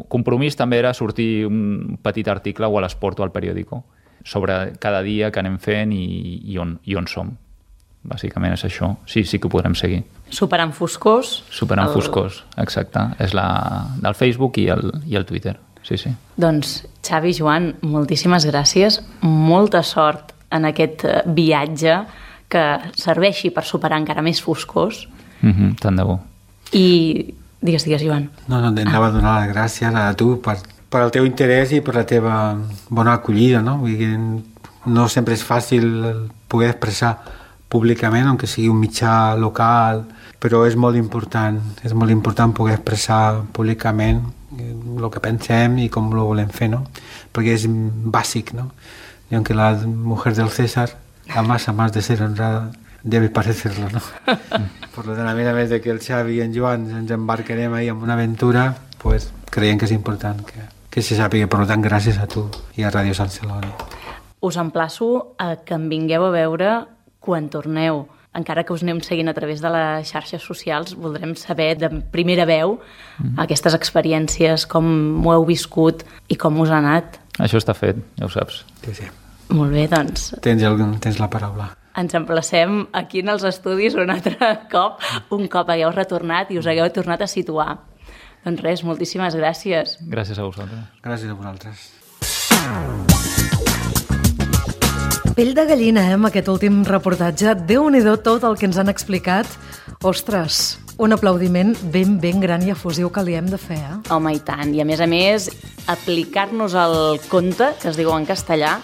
compromís també era sortir un petit article o a l'Esport o al periòdico sobre cada dia que anem fent i, i, on, i on som. Bàsicament és això. Sí, sí que ho podrem seguir. Superant Foscós. Superant el... Foscós, exacte. És la del Facebook i el, i el Twitter. Sí, sí. Doncs, Xavi, Joan, moltíssimes gràcies. Molta sort en aquest viatge que serveixi per superar encara més Foscós. Mm-hmm, tant de bo. I digues, digues, Joan. No, no, anava a donar les gràcies a tu per, per el teu interès i per la teva bona acollida, no? Vull dir, no sempre és fàcil poder expressar públicament, aunque sigui un mitjà local, però és molt important, és molt important poder expressar públicament el que pensem i com ho volem fer, no? Perquè és bàsic, no? I aunque la mujer del César, la masa más de ser honrada, debe parecerlo, no? Per tant, a més a més de que el Xavi i en Joan ens embarcarem ahí en una aventura, pues creiem que és important que, que se sàpiga. Per tant, gràcies a tu i a Ràdio Sant Celoni. Us emplaço a que em vingueu a veure quan torneu encara que us anem seguint a través de les xarxes socials, voldrem saber de primera veu mm. aquestes experiències, com ho heu viscut i com us ha anat. Això està fet, ja ho saps. Sí, sí. Molt bé, doncs... Tens, el, tens la paraula. Ens emplacem aquí en els estudis un altre cop, un cop hagueu retornat i us hagueu tornat a situar. Doncs res, moltíssimes gràcies. Gràcies a vosaltres. Gràcies a vosaltres. Pell de gallina, eh, amb aquest últim reportatge. Déu-n'hi-do tot el que ens han explicat. Ostres, un aplaudiment ben, ben gran i efusiu que li hem de fer, eh? Home, i tant. I a més a més, aplicar-nos el conte, que es diu en castellà,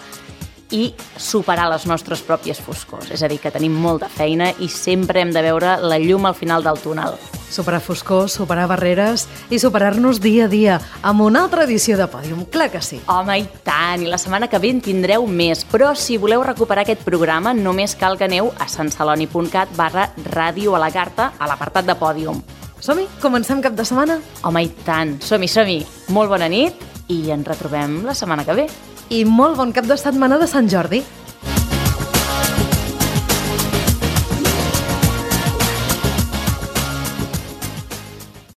i superar les nostres pròpies foscors. És a dir, que tenim molta feina i sempre hem de veure la llum al final del túnel. Superar foscors, superar barreres i superar-nos dia a dia amb una altra edició de Pòdium. Clar que sí. Home, i tant! I la setmana que ve en tindreu més. Però si voleu recuperar aquest programa, només cal que aneu a santceloni.cat barra ràdio a la carta a l'apartat de Pòdium. Som-hi? Comencem cap de setmana? Home, i tant! Som-hi, som-hi! Molt bona nit i ens retrobem la setmana que ve. I molt bon cap de setmana de Sant Jordi.